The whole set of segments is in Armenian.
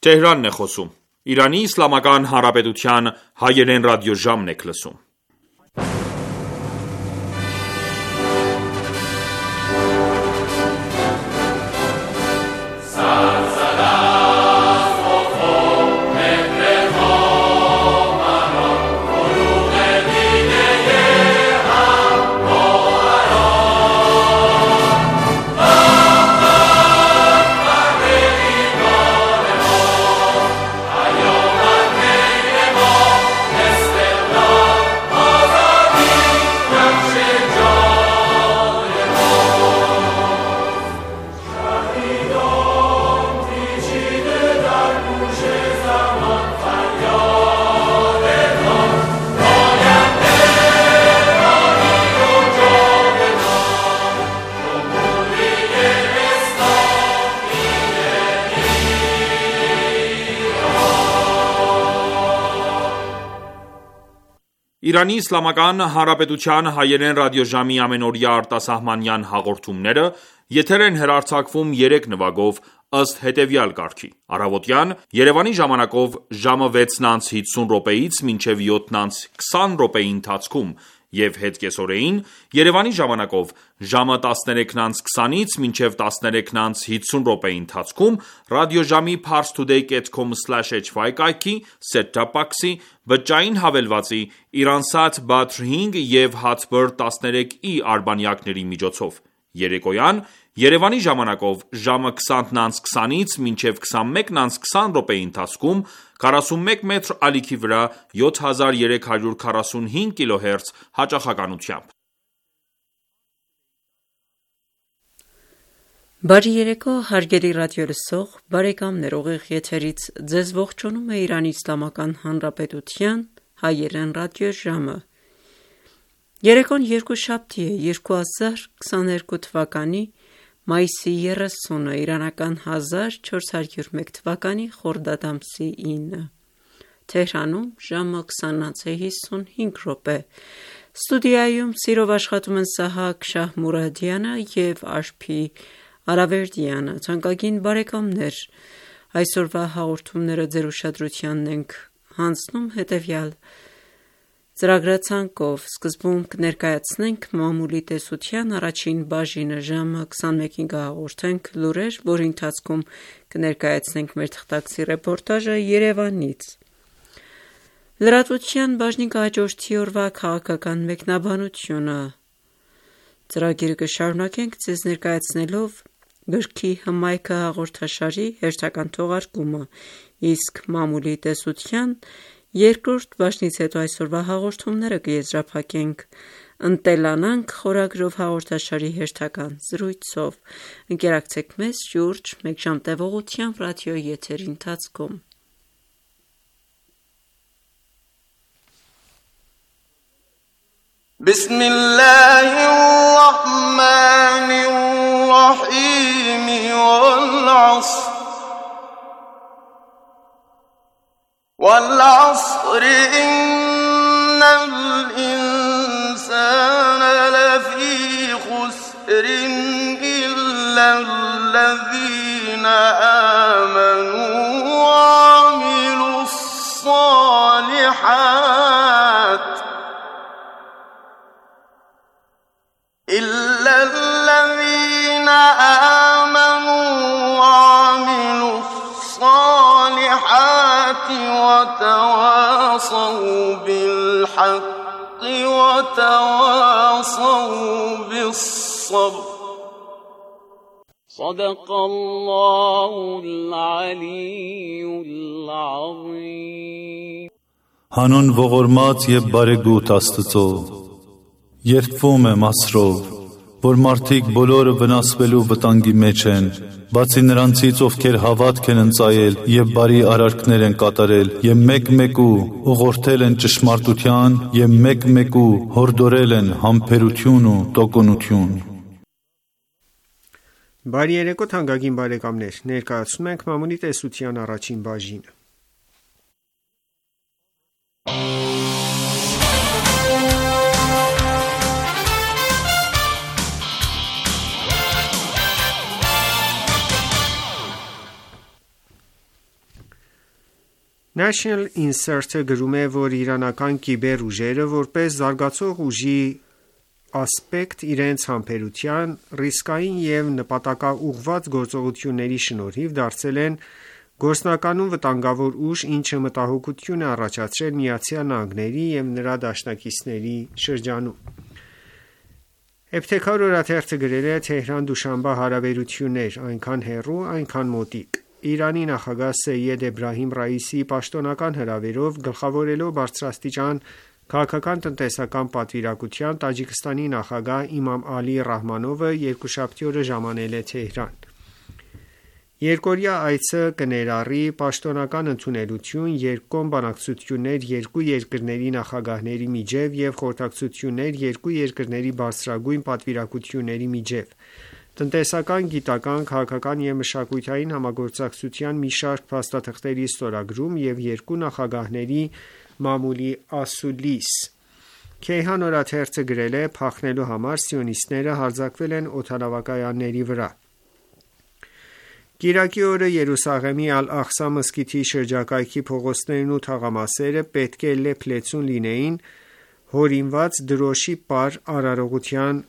Տեհրանն է խոսում։ Իրանի Իսլամական Հանրապետության հայերեն ռադիոժամն եք լսում։ Իրանի Իսլամական Հանրապետության հայերեն ռադիոժամի ամենօրյա արտասահմանյան հաղորդումները եթեր են հեռարձակվում 3 նվագով ըստ հետևյալ կարգի. Առավոտյան Երևանի ժամանակով ժամը 6:50-ից մինչև 7:20 րոպեի ընթացքում և հետկեսօրեին Երևանի ժամանակով ժամը 13:20-ից մինչև 13:50 րոպեի ընթացքում ռադիոժամի parstoday.com/hy կայքի, set-top box-ի, բջջային հավելվածի, Iransat Badr 5 և Hatbird 13i արբանյակների միջոցով: Երեկոյան Երևանի ժամանակով ժամը 20:20-ից մինչև 21:20 րոպեի ընթացքում 41 մետր ալիքի վրա 7345 kHz հաճախականությամբ: Բարի երեկո հարգելի ռադիոլսող բարեկամներ, ուղիղ եթերից ձեզ ողջունում է Իրանի Իսլամական Հանրապետության հայերեն ռադիոժամը: Երեկոն երկուշաբթի է, 2022 թվականի մայիսի 30-ը, իրանական 1401 թվականի խորդադ ամսի 9: Թեհրանում ժամը 20:55 Ստուդիայում սիրով աշխատում են Սահակ Շահմուրադյանը և Աշփի Արավերդյանը: Թանկագին բարեկամներ, այսօրվա հաղորդումները ձեր ուշադրությանն ենք հանձնում հետևյալ ծրագրացանկով: Սկզբում կներկայացնենք մամուլի տեսության առաջին բաժինը, ժամը 21-ին կհաղորդենք լուրեր, որի ընթացքում կներկայացնենք մեր թղթակցի ռեպորտաժը Երևանից: Լրատվության բաժնին կհաջորդի օրվա քաղաքական մեկնաբանությունը: Ծրագիրը կշարունակենք ձեզ ներկայացնելով գրքի հմայքը հաղորդաշարի հերթական թողարկումը, իսկ մամուլի տեսության երկրորդ բաժնից հետո այսօրվա հաղորդումները կեզրափակենք «Ընտելանանք» խորագրով հաղորդաշարի հերթական զրույցով: Ընկերակցեք մեզ շուրջ մեկ ժամ տևողությամբ ռադիոյի եթերի ընթացքում: وَالْعَصْرِ إِنَّ الْإِنسَانَ لَفِي خُسْرٍ إِلَّا الَّذِينَ آمَنُوا وَعَمِلُوا الصَّالِحَاتِ وَتَوَاصَوْا بِالْحَقِّ وَتَوَاصَوْا بِالصَّبْرِ صدق الله العلي العظيم Հանուն ողորմած և բարեգութ Աստծո, երդվում եմ Աստծով, որ մարդիկ բոլորը վնասվելու վտանգի մեջ են, բացի նրանցից, ովքեր հավատք են ընծայել և բարի արարքներ են կատարել և մեկ-մեկու ուղղորդել են ճշմարտության և մեկ-մեկու հորդորել են համբերություն ու տոկունություն: Բարի երեկո թանկագին բարեկամներ, ներկայացնում ենք մամուլի տեսության առաջին բաժինը: National Insert-ը գրում է, որ իրանական կիբեր ուժերը որպես զարգացող ուժի ասպեկտ իրենց համբերության, ռիսկային և նպատակաուղղված գործողությունների շնորհիվ դարձել են գործնականում վտանգավոր ուժ, ինչը մտահոգություն է առաջացրել ԱՄՆ-ի և նրա դաշնակիցների շրջանում։ Էբթեքար օրաթերթը գրել է. Թեհրան-Դուշանբե հարաբերություններ, այնքան հեռու, այնքան մոտիկ։ Իրանի նախագահ Սեյեդ Էբրահիմ Ռայիսիի պաշտոնական հրավերով գլխավորելով բարձրաստիճան քաղաքական-տնտեսական պատվիրակության, Տաջիկստանի նախագահ Իմամ Ալի Ռահմանովը երկուշաբթի օրը ժամանել է Թեհրան։ Երկօրյա այցը կներառի պաշտոնական ընդունելություն, երկկողմ բանակցություններ երկու երկրների նախագահների միջև և խորհրդակցություններ երկու երկրների բարձրագույն պատվիրակությունների միջև, տնտեսական, գիտական, քաղաքական և մշակութային համագործակցության մի շարք փաստաթղթերի ստորագրում և երկու նախագահների մամուլի ասուլիս։ Քեյհան օրաթերթը գրել է. Փախնելու համար սիոնիստները հարձակվել են օդանավակայանների վրա։ Կիրակի օրը Երուսաղեմի Ալ-Աղսա մզկիթի շրջակայքի փողոցներն ու թաղամասերը պետք է լեփ-լեցուն լինեին հորինված դրոշի պար արարողության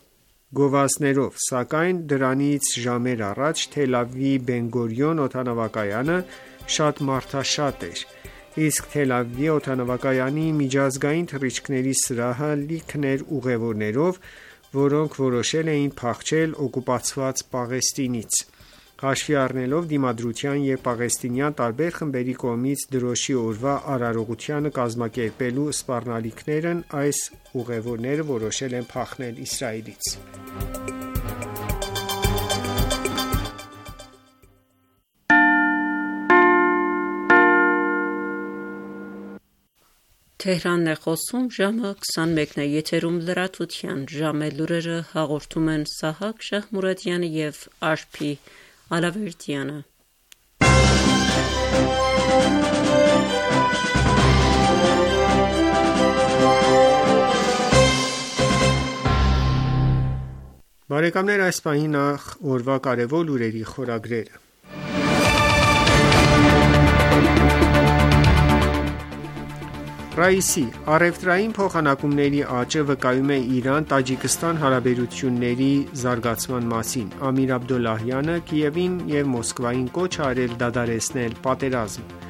գովազդներով, սակայն դրանից ժամեր առաջ Թել Ավիվի Բեն Գորիոն օդանավակայանը շատ մարդաշատ էր, իսկ Թել Ավիվի օդանավակայանի միջազգային թռիչքների սրահը լիքն էր ուղևորներով, որոնք որոշել էին փախչել օկուպացված Պաղեստինից։ Հաշվի առնելով դիմադրության և պաղեստինյան տարբեր խմբերի կողմից դրոշի օրվա արարողությանը կազմակերպելու սպառնալիքներն, այս ուղևորները որոշել են փախնել Իսրայելից։ Թեհրանն է խոսում, ժամը 21-ն է, եթերում լրատվության ժամը լուրերը հաղորդում են Սահակ Շահմուրադյանը և Արփի Ալավերդյանը։ Բարեկամներ, այս պահին նախ օրվա կարևոր լուրերի խորագրերը։ Ռայիսի առևտրային փոխանակումների աճը վկայում է Իրան-Տաջիկստան հարաբերությունների զարգացման մասին։ Ամիր Աբդոլլահյանը Կիևին և Մոսկվային կոչ է արել դադարեցնել պատերազմը։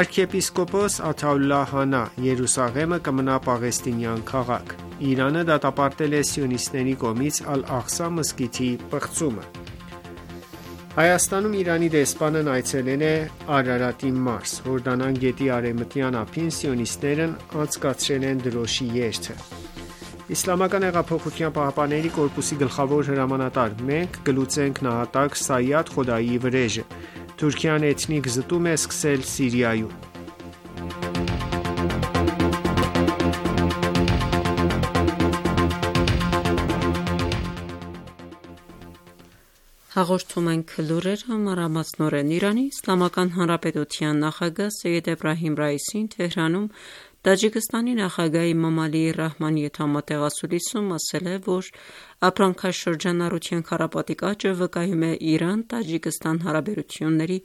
Արքեպիսկոպոս Աթաուլլահ Հանա Երուսաղեմը կմնա պաղեստինյան քաղաք։ Իրանը դատապարտել է սիոնիստների կողմից Ալ-Աղսա մզկիթի պղծումը։ Հայաստանում Իրանի դեսպանն այցելել է Արարատի մարզ։ Հորդանան գետի արևմտյան ափին սիոնիստներն անցկացրել են դրոշի երթը։ Իսլամական հեղափոխության պահապանների կորպուսի գլխավոր հրամանատար. Մենք կլուծենք նահատակ Սայադ Խոդայիի վրեժը։ Թուրքիան էթնիկ զտում է սկսել Սիրիայում։ Հաղորդում ենք լուրերը մանրամասնորեն։ Իրանի Իսլամական Հանրապետության նախագահ Սեյեդ Էբրահիմ Ռայիսին Թեհրանում Տաջիկստանի նախագահ Իմամ Ալի Ռահմանի հետ համատեղ ասուլիսում ասել է, որ ապրանքաշրջանառության քառապատիկ աճը վկայում է Իրան-Տաջիկստան հարաբերությունների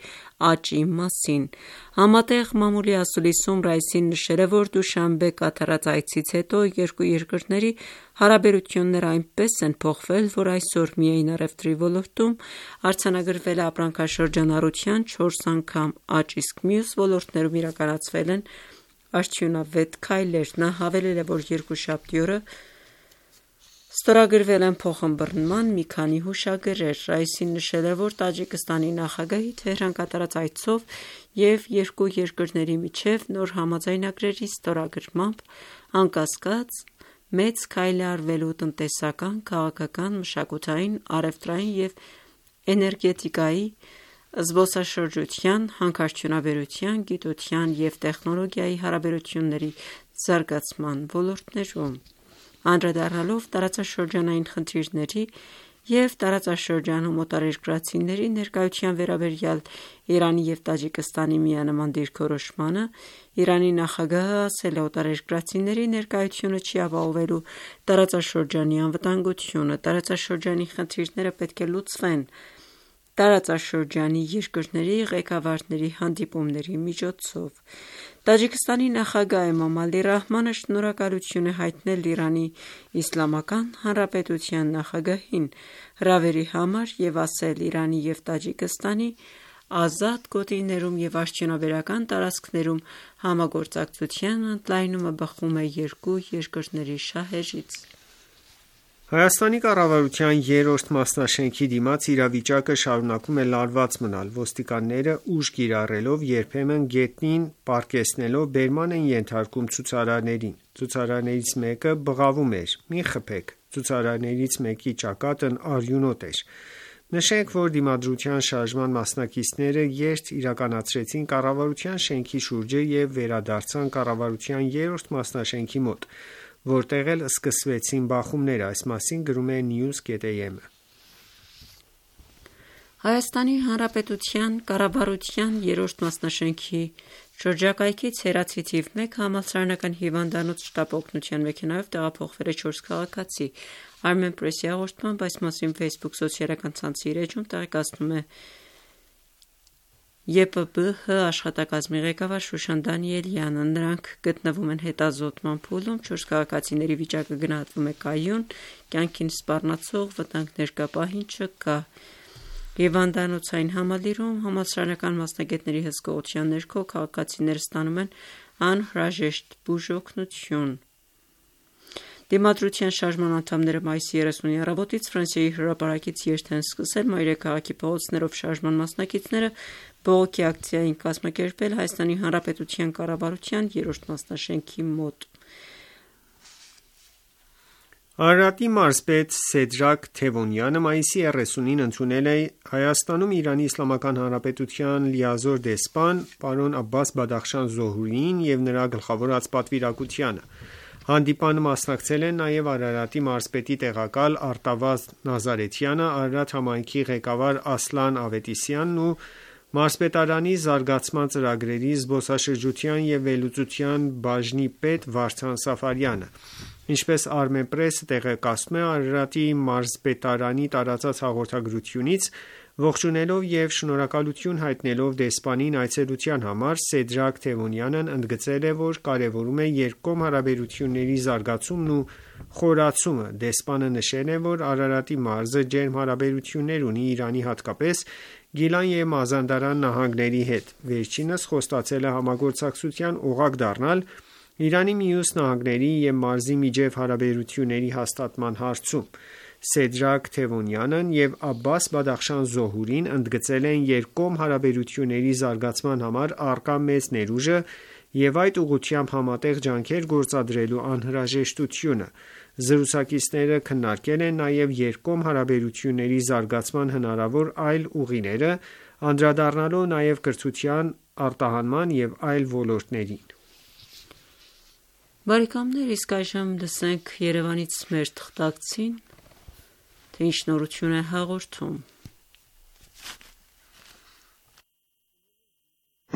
աճի մասին։ Համատեղ մամուլի ասուլիսում Ռայիսին նշել է, որ Դուշանբե կատարած այցից հետո երկու երկրների հարաբերությունները այնպես են փոխվել, որ այսօր միայն առևտրի ոլորտում արձանագրվել է ապրանքաշրջանառության 4 անգամ աճ, իսկ մյուս ոլորտներում իրականացվել են արդյունավետ քայլեր։ Նա հավելել է, որ երկուշաբթի օրը ստորագրվել են փոխըմբռնման մի քանի հուշագրեր։ Ռայիսին նշել է, որ Տաջիկստանի նախագահի Թեհրան կատարած այցով և երկու երկրների միջև նոր համաձայնագրերի ստորագրմամբ անկասկած մեծ քայլ է արվելու տնտեսական, քաղաքական, մշակութային, առևտրային և էներգետիկայի, զբոսաշրջության, հանքարդյունաբերության, գիտության և տեխնոլոգիայի հարաբերությունների զարգացման ոլորտներում։ Անդրադառնալով տարածաշրջանային խնդիրների և տարածաշրջանում օտարերկրացիների ներկայության վերաբերյալ Իրանի և Տաջիկստանի միանման դիրքորոշմանը, Իրանի նախագահը ասել է. օտարերկրացիների ներկայությունը չի ապահովելու տարածաշրջանի անվտանգությունը, տարածաշրջանի խնդիրները պետք է լուծվեն, տարածաշրջանի երկրների ղեկավարների հանդիպումների միջոցով։ Տաջիկստանի նախագահ Էմամ Ալի Ռահմանը շնորհակալություն է հայտնել Իրանի Իսլամական Հանրապետության նախագահին հրավերի համար և ասել Իրանի և Տաջիկստանի ազատ գոտիներում և արդյունաբերական տարածքներում համագործակցության ընդլայնումը բխում է երկու երկրների շահերից։ Հայաստանի կառավարության երրորդ մասնաշենքի դիմաց իրավիճակը շարունակում է լարված մնալ։ Ոստիկանները ուժ կիրառելով, երբեմն գետնին պառկեցնելով բերման են ենթարկում ցուցարարներին։ Ցուցարարներից մեկը բղավում էր. «Մի խփեք»։ Ցուցարարներից մեկի ճակատն արյունոտ էր։ Նշենք, որ Դիմադրության շարժման մասնակիցները երթ իրականացրեցին կառավարության շենքի շուրջը և վերադարձան կառավարության երրորդ մասնաշենքի մոտ, որտեղ էլ սկսվեցին բախումները։ Այս մասին գրում է News.am-ը։ Հայաստանի Հանրապետության կառավարության երրորդ մասնաշենքի շրջակայքից Հերաթի թիվ 1 համալսարանական հիվանդանոց շտապ օգնության մեքենայով տեղափոխվել է 4 քաղաքացի։ Armenpress-ի հաղորդմամբ այս մասին Facebook սոցիալական ցանցի իր էջում տեղեկացնում է ԵՊԲՀ աշխատակազմի ղեկավար Շուշան Դանիելյանը։ Նրանք գտնվում են հետազոտման փուլում, 4 քաղաքացիների վիճակը գնահատվում է կայուն, կյանքին սպառնացող վտանգներ կա, պահին չկա։ Հիվանդանոցային համալիրում համալսարանական մասնագետների հսկողության ներքո քաղաքացիները ստանում են անհրաժեշտ բուժօգնություն։ Դիմադրության շարժման անդամները մայիսի 30-ի առավոտից Ֆրանսիայի հրապարակից երթ են սկսել Մայրաքաղաքի փողոցներով շարժման մասնակիցները բողոքի ակցիա են կազմակերպել Հայաստանի Հանրապետության կառավարության երրորդ մասնաշենքի մոտ։ Արարատի մարզպետ Սեդրակ Թևոնյանը մայիսի 30-ին ընդունել է Հայաստանում Իրանի Իսլամական Հանրապետության լիազոր դեսպան պարոն Աբբաս Բադախշան Զոհրիին և նրա գլխավորած պատվիրակությանը։ Հանդիպանը մասնակցել են նաև Արարատի մարզպետի տեղակալ Արտավազդ Նազարեթյանը, Արարատ համայնքի ղեկավար Ասլան Ավետիսյանն ու մարզպետարանի զարգացման ծրագրերի, զբոսաշրջության և վերլուծության բաժնի պետ Վարդան Սաֆարյանը։ Ինչպես Armenpress-ը տեղեկացնում է, Արարատի մարզպետարանի տարածած հաղորդագրությունից ողջունելով և շնորհակալություն հայտնելով դեսպանին այցելության համար, Սեդրակ Թևոնյանն ընդգծել է, որ կարևորում է երկկողմ հարաբերությունների զարգացումն ու խորացումը։ Դեսպանը նշել է, որ Արարատի մարզը ջերմ հարաբերություններ ունի Իրանի, հատկապես Գիլան և Մազանդարան նահանգների հետ։ Վերջինս խոստացել է համագործակցության օղակ դառնալ Իրանի մյուս նահանգների և մարզի միջև հարաբերությունների հաստատման հարցում։ Սեդրակ Թևոնյանն և Աբբաս Բադախշան Զոհուրին ընդգծել են երկկողմ հարաբերությունների զարգացման համար առկա մեծ ներուժը և այդ ուղղությամբ համատեղ ջանքեր գործադրելու անհրաժեշտությունը։ Զրուցակիցները քննարկել են նաև երկկողմ հարաբերությունների զարգացման հնարավոր այլ ուղիները, անդրադառնալով նաև կրթության, արտահանման և այլ ոլորտներին։ Բարեկամներ, իսկ այժմ լսենք Երևանից մեր թղթակցին, թե ինչ նորություն է հաղորդում։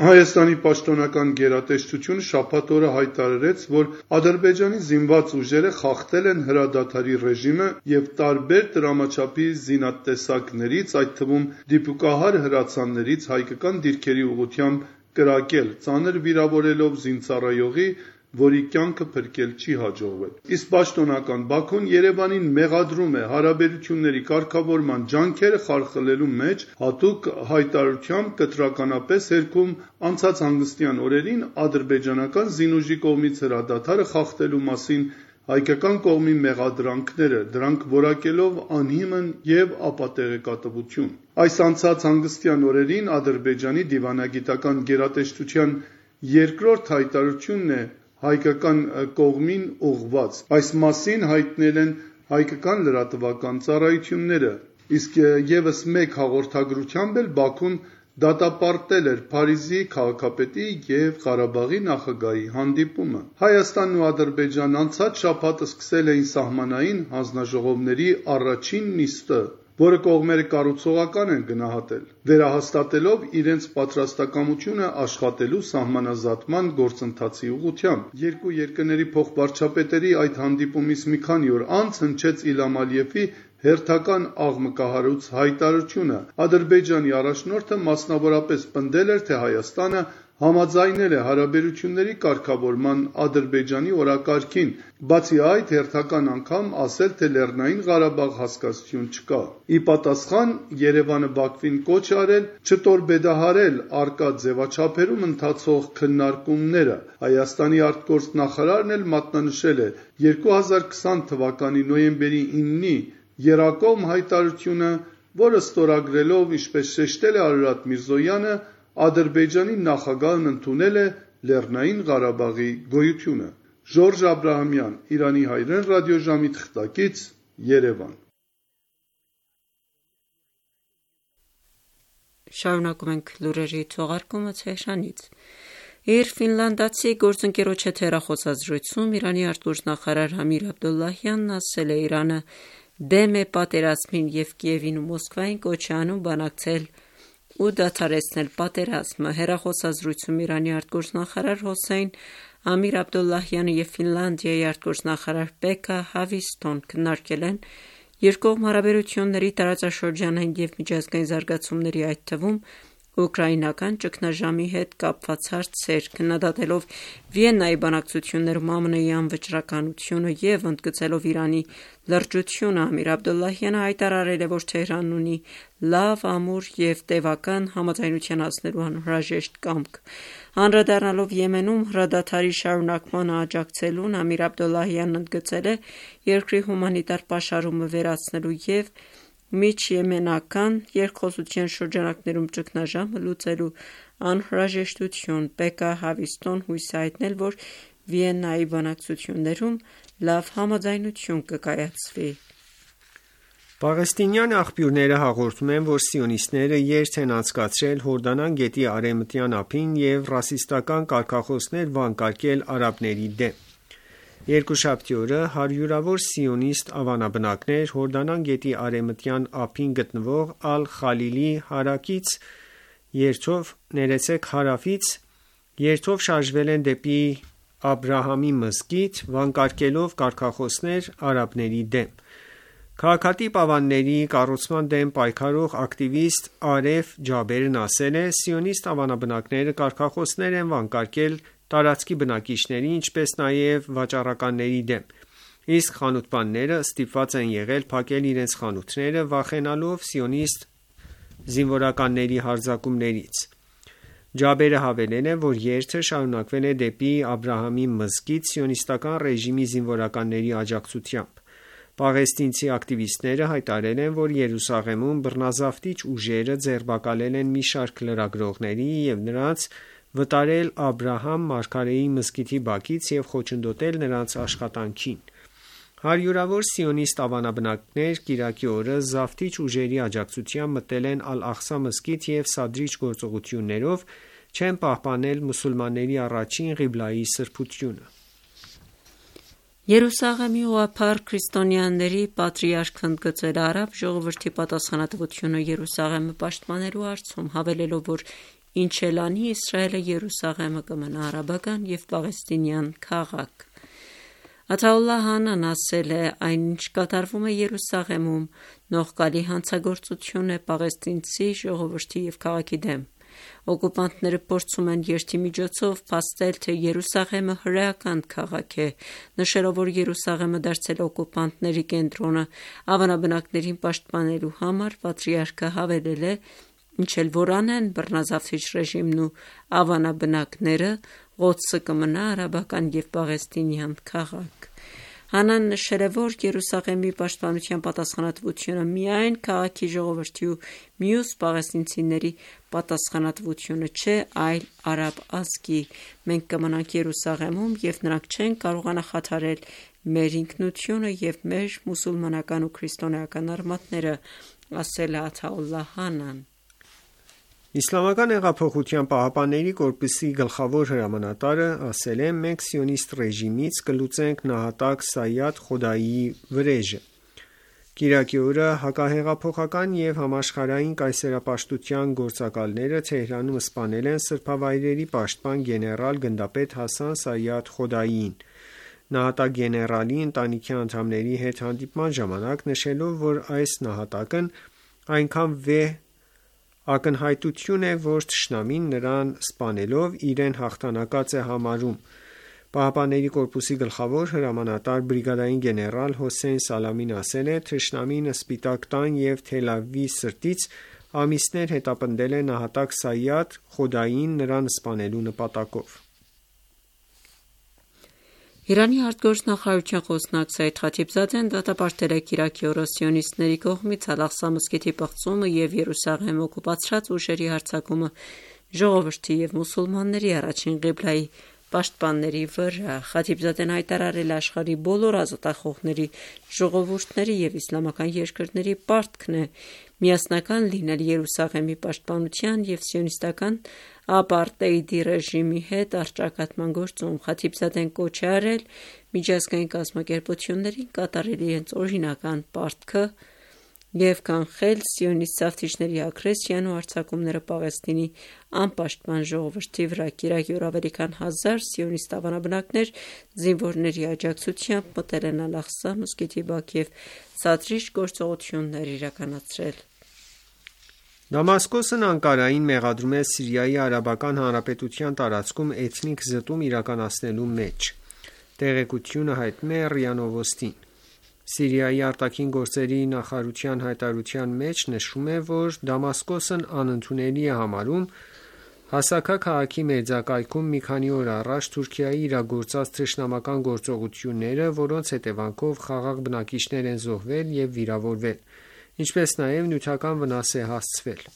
Հայաստանի պաշտոնական գերատեսչությունը շաբաթ օրը հայտարարեց, որ Ադրբեջանի զինված ուժերը խախտել են հրադադարի ռեժիմը և տարբեր տրամաչափի զինատեսակներից, այդ թվում դիպուկահար հրացաններից հայկական դիրքերի ուղղությամբ կրակել, ծանր վիրավորելով զինծառայողի, որի կյանքը փրկել չի հաջողվել։ Իսկ պաշտոնական Բաքուն Երևանին մեղադրում է հարաբերությունների կարգավորման ջանքերը խարխլելու մեջ, հատուկ հայտարարությամբ կտրականապես հերքում անցած հանգստյան օրերին ադրբեջանական զինուժի կողմից հրադադարը խախտելու մասին հայկական կողմի մեղադրանքները, դրանք որակելով անհիմն և ապատեղեկատվություն։ Այս անցած հանգստյան օրերին Ադրբեջանի դիվանագիտական գերատեսչության երկրորդ հայտարարությունն է հայկական կողմին ուղղված։ Այս մասին հայտնել են հայկական լրատվական ծառայությունները, իսկ եւս մեկ հաղորդագրությամբ էլ Բաքուն դատապարտել էր Փարիզի քաղաքապետի և Ղարաբաղի նախագահի հանդիպումը։ Հայաստանն ու Ադրբեջանն անցած շաբաթ սկսել էին սահմանային հանձնաժողովների առաջին նիստը, որը կողմերը կառուցողական են գնահատել, վերահաստատելով իրենց պատրաստակամությունը աշխատելու սահմանազատման գործընթացի ուղղությամբ։ Երկու երկրների փոխվարչապետերի այդ հանդիպումից մի քանի օր անց հնչեց Իլհամ Ալիևի հերթական աղմկահարույց հայտարարությունը Ադրբեջանի առաջնորդը մասնավորապես պնդել էր, թե Հայաստանը համաձայնել է հարաբերությունների կարգավորման Ադրբեջանի օրակարգին, բացի այդ հերթական անգամ ասել, թե Լեռնային Ղարաբաղ հասկացություն չկա։ Ի պատասխան Երևանը Բաքվին կոչ է արել չտորպեդահարել առկա ձևաչափերում ընթացող քննարկումները։ Հայաստանի արտգործնախարարն էլ մատնանշել է 2020 թվականի նոյեմբերի 9-ի եռակողմ հայտարարությունը, որը ստորագրելով, ինչպես շեշտել է Արարատ Միրզոյանը, Ադրբեջանի նախագահն ընդունել է Լեռնային Ղարաբաղի գոյությունը։ Ժորժ Աբրահամյան, Իրանի հայրեն ռադիոժամի թղթակից, Երևան։ Շարունակում ենք լուրերի թողարկումը Թեհրանից։ Իր ֆինլանդացի գործընկերոջ հետ հեռախոսազրույցում Իրանի արտգործնախարար Ամիր Աբդոլլահյանն ասել է, Իրանը դեմ է պատերազմին և Կիևին ու Մոսկվային կոչ է անում բանակցել ու դադարեցնել պատերազմը։ Հեռախոսազրույցում Իրանի արտգործնախարար Հոսեյն Ամիր Աբդոլլահյանը և Ֆինլանդիայի արտգործնախարար Պեկա Հավիստոն քննարկել են երկկողմ հարաբերությունների տարածաշրջանային և միջազգային զարգացումների, այդ թվում ուկրաինական ճգնաժամի հետ կապված հարցեր, քննադատելով Վիեննայի բանակցություններում ԱՄՆ-ի անվճռականությունը և ընդգծելով Իրանի լրջությունը, Ամիր Աբդոլլահյանը հայտարարել է, որ Թեհրանն ունի լավ, ամուր և տևական համաձայնության հասնելու անհրաժեշտ կամք։ Անդրադառնալով Եմենում հրադադարի շարունակմանը աջակցելուն, Ամիր Աբդոլլահյանն ընդգծել է երկրի հումանիտար պաշարումը վերացնելու և միջեմենական երկխոսության շրջանակներում ճգնաժամը լուծելու անհրաժեշտություն։ Պեկա Հավիստոն հույս է հայտնել, որ Վիեննայի բանակցություններում լավ համաձայնություն կկայացվի։ Պաղեստինյան աղբյուրները հաղորդում են, որ սիոնիստները երթ են անցկացրել Հորդանան գետի արևմտյան ափին և ռասիստական կարգախոսներ վանկարկել արաբների դեմ։ Երկուշաբթի օրը հարյուրավոր սիոնիստ ավանաբնակներ Հորդանան գետի արևմտյան ափին գտնվող Ալ-Խալիլի հարավից երթով շարժվել են դեպի Աբրահամի մզկիթ, վանկարկելով կարգախոսներ արաբների դեմ։ Քաղաքատիպ ավանների կառուցման դեմ պայքարող ակտիվիստ Արեֆ Ջաբերն ասել է. «Սիոնիստ ավանաբնակները կարգախոսներ են վանկարկել տարածքի բնակիչների, ինչպես նաև վաճառականների դեմ, իսկ խանութպանները ստիպված են եղել փակել իրենց խանութները, վախենալով սիոնիստ զինվորականների հարձակումներից»։ Ջաբերը հավելել է, որ երթը շարունակվել է դեպի Աբրահամի մզկիթ սիոնիստական ռեժիմի զինվորականների աջակցությամբ։ Պաղեստինցի ակտիվիստները հայտարարել են, որ Երուսաղեմում բռնազավթիչ ուժերը ձերբակալել են մի շարք լրագրողների և նրանց վտարել Աբրահամ մարգարեի մզկիթի բակից և խոչընդոտել նրանց աշխատանքին։ Հարյուրավոր սիոնիստ ավանաբնակներ կիրակի օրը զավթիչ ուժերի աջակցությամբ մտել են Ալ-Աղսա մզկիթ և սադրիչ գործողություններով չեն պահպանել մուսուլմանների առաջին ղիբլայի սրբությունը։ Երուսաղեմի ուղղափառ քրիստոնյաների պատրիարքն ընդգծել է արաբ ժողովրդի պատասխանատվությունը Երուսաղեմը պաշտպանելու հարցում, հավելելով, որ ինչ էլ անի, Իսրայելը Երուսաղեմը կմնա արաբական և պաղեստինյան քաղաք։ Աթաուլլահ Հանան ասել է. «Այն, ինչ կատարվում է Երուսաղեմում, նողկալի հանցագործություն է պաղեստինցի ժողովրդի և քաղաքի դեմ։ Օկուպանտները փորձում են երթի միջոցով փաստել, թե Երուսաղեմը հրեական քաղաք է, նշելով, որ Երուսաղեմը դարձել է օկուպանտների կենտրոնը։ Ավանաբնակներին պաշտպանելու համար պատրիարքը հավելել է. «Ինչ էլ որ անեն բռնազավթիչ ռեժիմն ու ավանաբնակները, Ղոդսը կմնա արաբական և պաղեստինյան քաղաք»։ Հանան նշել է, որ Երուսաղեմի պաշտպանության պատասխանատվությունը միայն քաղաքի ժողովրդի ու մյուս պաղեստինցիների պատասխանատվությունը չէ, այլ արաբ ազգի։ Մենք կմնանք Երուսաղեմում և նրանք չեն կարողանա խաթարել մեր ինքնությունը և մեր մուսուլմանական ու քրիստոնեական արմատները, ասել է Աթաուլլահ Հանան։ ԻՀՊԿ-ի գլխավոր հրամանատարը ասել է. «Մենք սիոնիստ ռեժիմից կլուծենք նահատակ Սայադ Խոդայիի վրեժը»։ Կիրակի օրը հակահեղափոխական և համաշխարհային կայսերապաշտության գործակալները Թեհրանում սպանել են սրբավայրերի պաշտպան գեներալ գնդապետ Հասան Սայադ Խոդայիին։ նահատակ գեներալի ընտանիքի անդամների հետ հանդիպման ժամանակ, նշելով, որ այս նահատակն այնքան վեհ ակնհայտություն է, որ թշնամին նրան սպանելով իրեն հաղթանակած է համարում։ ԻՀՊԿ-ի գլխավոր հրամանատար բրիգադային գեներալ Հոսեյն Սալամին ասել է. «Թշնամին Սպիտակ տան և Թել Ավիվի սրտից ամիսներ հետապնդել է նահատակ Սայադ Խոդային նրան սպանելու նպատակով»։ Իրանի արտգործնախարարության խոսնակ Սայիդ Խաթիբզադեն դատապարտել է Իրաքի օրոսիոնիստների կողմից Ալ-Աղսա մզկիթի պղծումը և Երուսաղեմ օկուպացրած ուժերի հարձակումը ժողովրդի և մուսուլմանների առաջին ղիբլայի պաշտպանների վրա։ Խաթիբզադեն հայտարարել է աշխարհի բոլոր ազատախոհների, ժողովուրդների և իսլամական երկրների պարտքն է միասնական լինել Երուսաղեմի պաշտպանության և սիոնիստական ապարտեիդի ռեժիմի հետ առճակատման գործում։ Խաթիբզադեն կոչ է արել միջազգային կազմակերպություններին կատարել իրենց օրինական պարտքը և կանխել սիոնիստ զավթիչների ագրեսիան ու հարձակումները Պաղեստինի անպաշտպան ժողովրդի վրա։ Կիրակի օր ավելի քան 1000 սիոնիստ ավանաբնակներ զինվորների աջակցությամբ մտել են Ալ-Աղսա մզկիթի բակ և սադրիչ գործողություններ իրականացրել։ Դամասկոսն Անկարային մեղադրում է Սիրիայի Արաբական Հանրապետության տարածքում էթնիկ զտում իրականացնելու մեջ։ Տեղեկությունը հայտնում է ՌԻԱ Նովոստին։ Սիրիայի արտաքին գործերի նախարարության հայտարարության մեջ նշվում է, որ Դամասկոսն անընդունելի է համարում Հասակա քաղաքի մերձակայքում մի քանի օր առաջ Թուրքիայի իրագործած թշնամական գործողությունները, որոնց հետևանքով խաղաղ բնակիչներ են զոհվել և վիրավորվել, ինչպես նաև նյութական վնաս է հասցվել։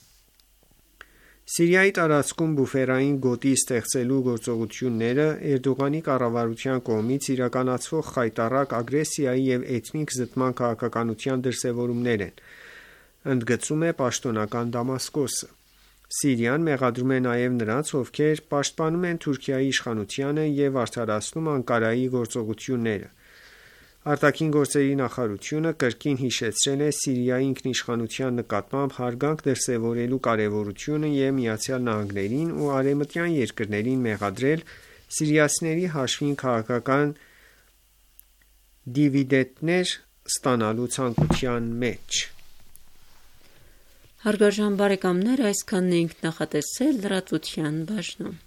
Սիրիայի տարածքում բուֆերային գոտի ստեղծելու գործողությունները Էրդողանի կառավարության կողմից իրականացվող խայտառակ ագրեսիայի և էթնիկ զտման քաղաքականության դրսևորումներ են, ընդգծում է պաշտոնական Դամասկոսը։ Սիրիան մեղադրում է նաև նրանց, ովքեր պաշտպանում են Թուրքիայի իշխանությանը և արդարացնում Անկարայի գործողությունները։ Արտաքին գործերի նախարարությունը կրկին հիշեցրել է Սիրիայի ինքնիշխանության նկատմամբ հարգանք դրսևորելու կարևորությունը և ԱՄՆ-ին ու արևմտյան երկրներին մեղադրել սիրիացիների հաշվին քաղաքական դիվիդենտներ ստանալու ցանկության մեջ։ Հարգարժան բարեկամներ, այսքանն էինք նախատեսել լրատվության բաժնում։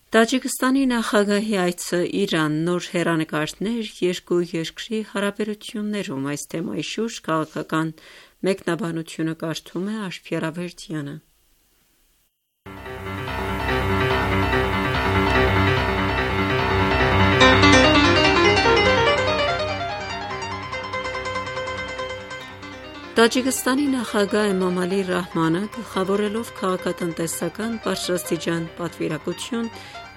Տաջիկստանի նախագահի այցը Իրան, նոր հեռանկարներ երկու երկրի հարաբերություններում։ Այս թեմայի շուրջ քաղաքական մեկնաբանությունը կարդում է Աշփի Արավերդյանը։ Տաջիկստանի նախագահ Էմամալի Ռահմանը գլխավորելով քաղաքատնտեսական բարձրաստիճան պատվիրակություն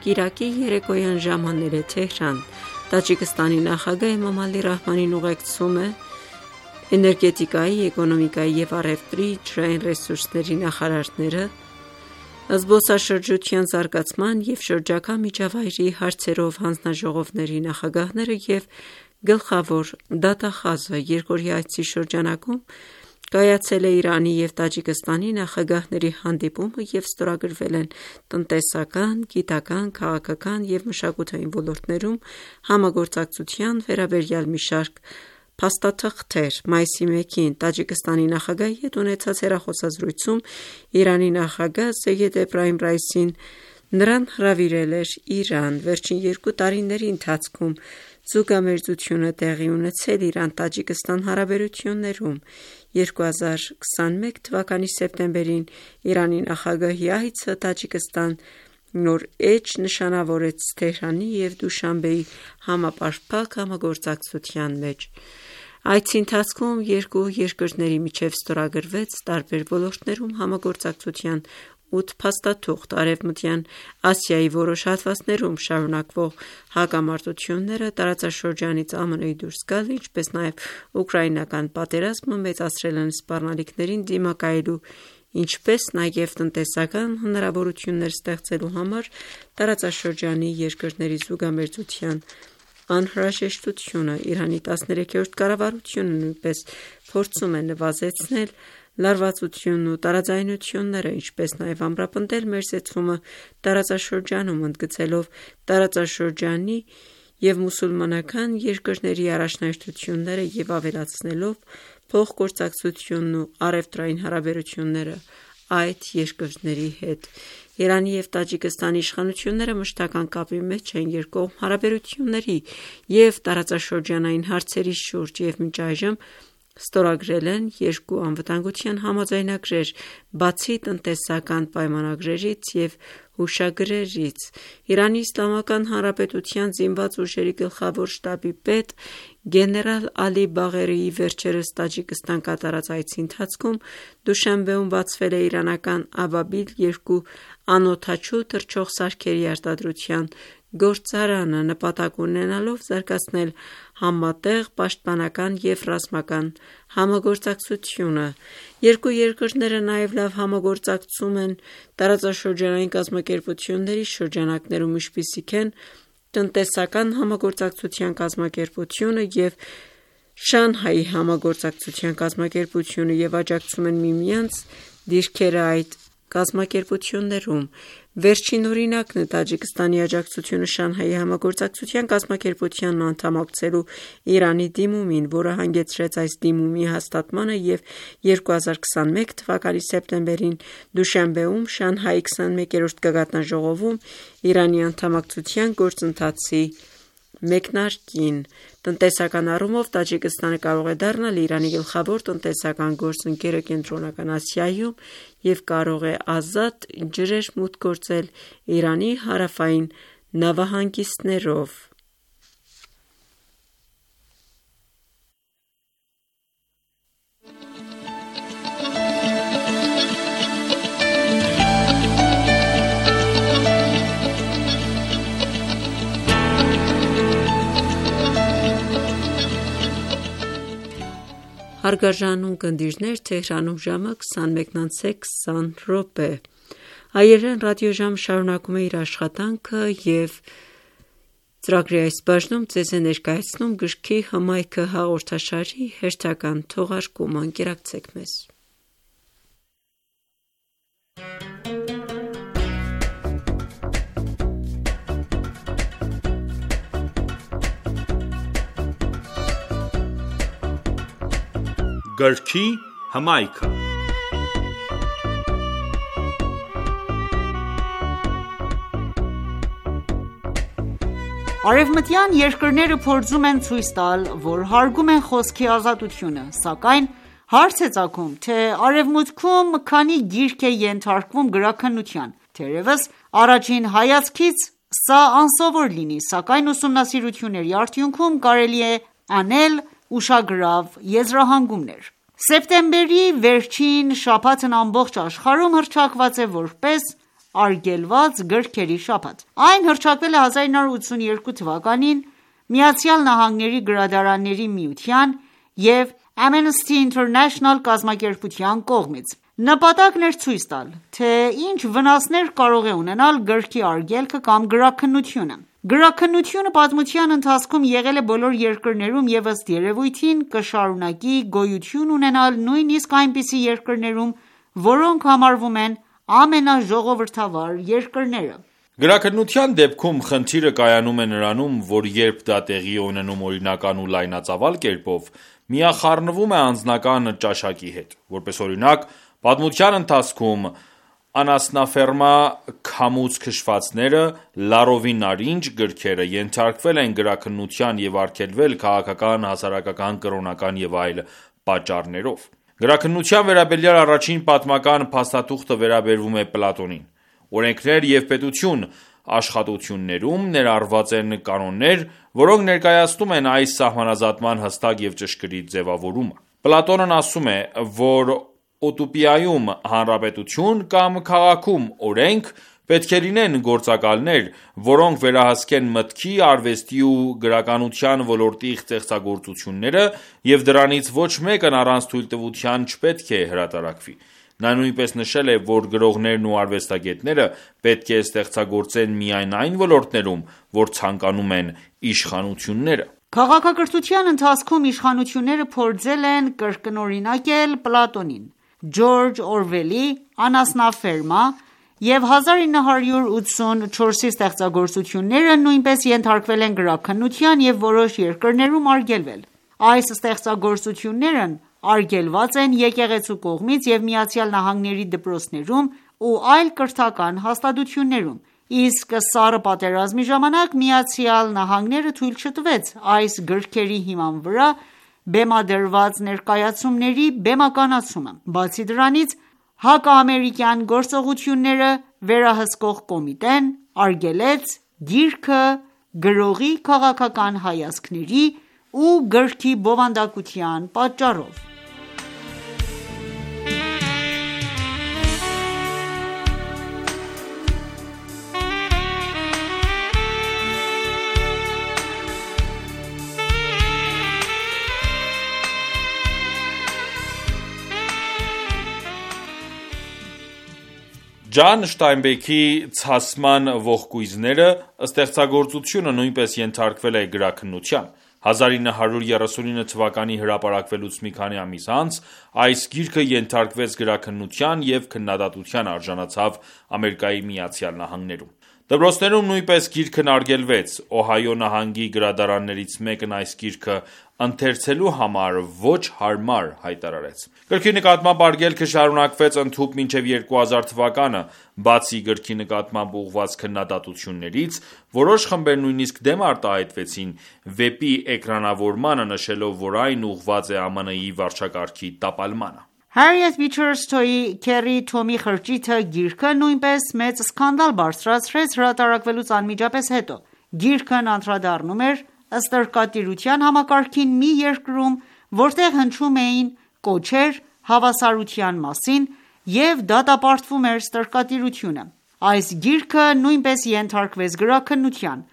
կիրակի երեկոյան ժամանել է Թեհրան։ Տաջիկստանի նախագահ Էմամալի Ռահմանին ուղեկցում է էներգետիկայի, էկոնոմիկայի և առևտրի, ջրային ռեսուրսների նախարարները, զբոսաշրջության զարգացման և շրջակա միջավայրի հարցերով հանձնաժողովների նախագահները և գլխավոր դատախազը։ Երկօրյա այցի շրջանակում կայացել է Իրանի և Տաջիկստանի նախագահների հանդիպումը և ստորագրվել են տնտեսական, գիտական, քաղաքական և մշակութային ոլորտներում համագործակցության վերաբերյալ մի շարք փաստաթղթեր։ Մայիսի 1-ին Տաջիկստանի նախագահի հետ ունեցած հեռախոսազրույցում Իրանի նախագահ Սեյեդ Էբրահիմ Ռայիսին նրան հրավիրել էր Իրան։ Վերջին 2 տարիների ընթացքում զուգամերձություն է տեղի ունեցել Իրան-Տաջիկստան հարաբերություններում։ 2021 թվականի սեպտեմբերին Իրանի նախագահի այցը Տաջիկստան նոր էջ նշանավորեց Թեհրանի և Դուշանբեի համապարփակ համագործակցության մեջ։ Այցի ընթացքում երկու երկրների միջև ստորագրվեց տարբեր ոլորտներում համագործակցության 8 փաստաթուղթ։ Արևմտյան Ասիայի որոշ հատվածներում շարունակվող հակամարտությունները, տարածաշրջանից ԱՄՆ-ի դուրս գալը, ինչպես նաև ուկրաինական պատերազմը մեծացրել են սպառնալիքներին դիմակայելու, ինչպես նաև տնտեսական հնարավորություններ ստեղծելու համար տարածաշրջանի երկրների զուգամերձության անհրաժեշտությունը։ Իրանի 13-րդ կառավարությունը նույնպես փորձում է նվազեցնել լարվածությունն ու տարաձայնությունները, ինչպես նաև ամրապնդել մերձեցումը տարածաշրջանում, ընդգծելով տարածաշրջանի և մուսուլմանական երկրների առաջնահերթությունները և ավելացնելով փոխգործակցությունն ու առևտրային հարաբերությունները այդ երկրների հետ։ Իրանի և Տաջիկստանի իշխանությունները մշտական կապի մեջ են երկկողմ հարաբերությունների և տարածաշրջանային հարցերի շուրջ և մինչ այժմ ստորագրել են երկու անվտանգության համաձայնագրեր, բացի տնտեսական պայմանագրերից և հուշագրերից։ Իրանի Իսլամական Հանրապետության զինված ուժերի գլխավոր շտաբի պետ գեներալ Ալի Բաղերիի վերջերս Տաջիկստան կատարած այցի ընթացքում Դուշանբեում բացվել է իրանական Աբաբիլ-2 անօդաչու թռչող սարքերի արտադրության գործարանը՝ նպատակ ունենալով զարգացնել համատեղ պաշտպանական և ռազմական համագործակցությունը։ Երկու երկրները նաև լավ համագործակցում են տարածաշրջանային կազմակերպությունների շրջանակներում, ինչպիսիք են տնտեսական համագործակցության կազմակերպությունը և Շանհայի համագործակցության կազմակերպությունը և աջակցում են միմյանց դիրքերը այդ կազմակերպություններում։ Վերջին օրինակն է Տաջիկստանի աջակցությունը Շանհայի համագործակցության կազմակերպությանն անդամակցելու Իրանի դիմումին, որը հանգեցրեց այս դիմումի հաստատմանը և 2021 թվականի սեպտեմբերին Դուշանբեում Շանհայի 21-րդ գագաթնաժողովում Իրանի անդամակցության գործընթացի մեկնարկին։ Տնտեսական առումով Տաջիկստանը կարող է դառնալ Իրանի գլխավոր տնտեսական գործընկերը Կենտրոնական Ասիայում և կարող է ազատ ջրեր մուտք գործել Իրանի հարավային նավահանգիստներով։ Հարգարժան ունկնդիրներ, Թեհրանում ժամը 21:20 Հայերեն ռադիոժամ շարունակում է իր աշխատանքը և ծրագրի այս բաժնում ձեզ է ներկայացնում գրքի հմայքը հաղորդաշարի հերթական թողարկումը։ Ընկերակցեք մեզ։ Գրքի հմայքը։ Արևմտյան երկրները փորձում են ցույց տալ, որ հարգում են խոսքի ազատությունը, սակայն հարց է ծագում, թե Արևմուտքում քանի գիրք է ենթարկվում գրաքննության։ Թերևս առաջին հայացքից սա անսովոր լինի, սակայն ուսումնասիրությունների արդյունքում կարելի է անել ուշագրավ եզրահանգումներ։ Սեպտեմբերի վերջին շաբաթն ամբողջ աշխարհում հռչակված է որպես արգելված գրքերի շաբաթ։ Այն հռչակվել է 1982 թվականին ԱՄՆ գրադարանների միության և Amnesty International կազմակերպության կողմից։ Նպատակն էր ցույց տալ, թե ինչ վնասներ կարող է ունենալ գրքի արգելքը կամ գրաքննությունը։ Գրաքննությունը պատմության ընթացքում եղել է բոլոր երկրներում և ըստ երևույթին կշարունակի գոյություն ունենալ նույնիսկ այնպիսի երկրներում, որոնք համարվում են ամենաժողովրդավար երկրները։ Գրաքննության դեպքում խնդիրը կայանում է նրանում, որ երբ դա տեղի է ունենում օրինական ու լայնածավալ կերպով, միախառնվում է անձնական ճաշակի հետ։ Որպես օրինակ, պատմության ընթացքում անասնաֆերմա քամուց քշվածները, Լարովի նարինջ գրքերը ենթարկվել են գրաքննության և արգելվել քաղաքական, հասարակական, կրոնական և այլ պատճառներով։ Գրաքննության վերաբերյալ առաջին պատմական փաստաթուղթը վերաբերվում է Պլատոնին։ «Օրենքներ և պետություն» աշխատություններում ներառված են կանոններ, որոնք ներկայացնում են այս սահմանազատման հստակ և ճշգրիտ ձևավորումը։ Պլատոնն ասում է, որ ուտոպիայում հանրապետություն կամ քաղաքում օրենք պետք է լինեն գործակալներ, որոնք վերահսկեն մտքի, արվեստի ու գրականության ոլորտի ստեղծագործությունները, և դրանից ոչ մեկն առանց թույլտվության չպետք է հրատարակվի։ Նա նույնպես նշել է, որ գրողներն ու արվեստագետները պետք է ստեղծագործեն միայն այն ոլորտներում, որ ցանկանում են իշխանությունները։ Քաղաքակրթության ընթացքում իշխանությունները փորձել են կրկնօրինակել Պլատոնին, Ջորջ Օրվելի «Անասնաֆերմա» և 1984-ի ստեղծագործությունները նույնպես ենթարկվել են գրաքննության և որոշ երկրներում արգելվել։ Այս ստեղծագործություններն արգելված են եկեղեցու կողմից և ԱՄՆ-ի դպրոցներում ու այլ կրթական հաստատություններում, իսկ Սառը պատերազմի ժամանակ ԱՄՆ-ը թույլ չտվեց այս գրքերի հիման վրա բեմադրված ներկայացումների բեմականացումը։ Բացի դրանից, հակաամերիկյան գործողությունները վերահսկող կոմիտեն արգելեց գիրքը գրողի քաղաքական հայացքների ու գրքի բովանդակության պատճառով։ Ջան Շտայնբեքի «Ցասման ողկույզները» ստեղծագործությունը նույնպես ենթարկվել է գրաքննության։ 1939 թվականի հրապարակվելուց մի քանի ամիս անց այս գիրքը ենթարկվեց գրաքննության և քննադատության արժանացավ ԱՄՆ-ում։ Դպրոցներում նույնպես գիրքն արգելվեց։ Օհայո նահանգի գրադարաններից մեկն այս գիրքը ընթերցելու համար ոչ հարմար հայտարարեց։ Գրքի նկատմամբ արգելքը շարունակվեց ընդհուպ մինչև 2000 թվականը։ Բացի գրքի նկատմամբ ուղղված քննադատություններից, որոշ խմբեր նույնիսկ դեմ արտահայտվեցին վեպի էկրանավորմանը, նշելով, որ այն ուղղված է ԱՄՆ-ի վարչակարգի տապալմանը։ Հարիեթ Բիչեր Սթոուի «Քեռի Թոմի խրճիթը» գիրքը նույնպես մեծ սկանդալ բարձրացրեց հրատարակվելուց անմիջապես հետո։ Գիրքն անդրադառնում էր ստրկատիրության համակարգին մի երկրում, որտեղ հնչում էին կոչեր հավասարության մասին և դատապարտվում էր ստրկատիրությունը։ Այս գիրքը նույնպես ենթարկվեց գրաքննության։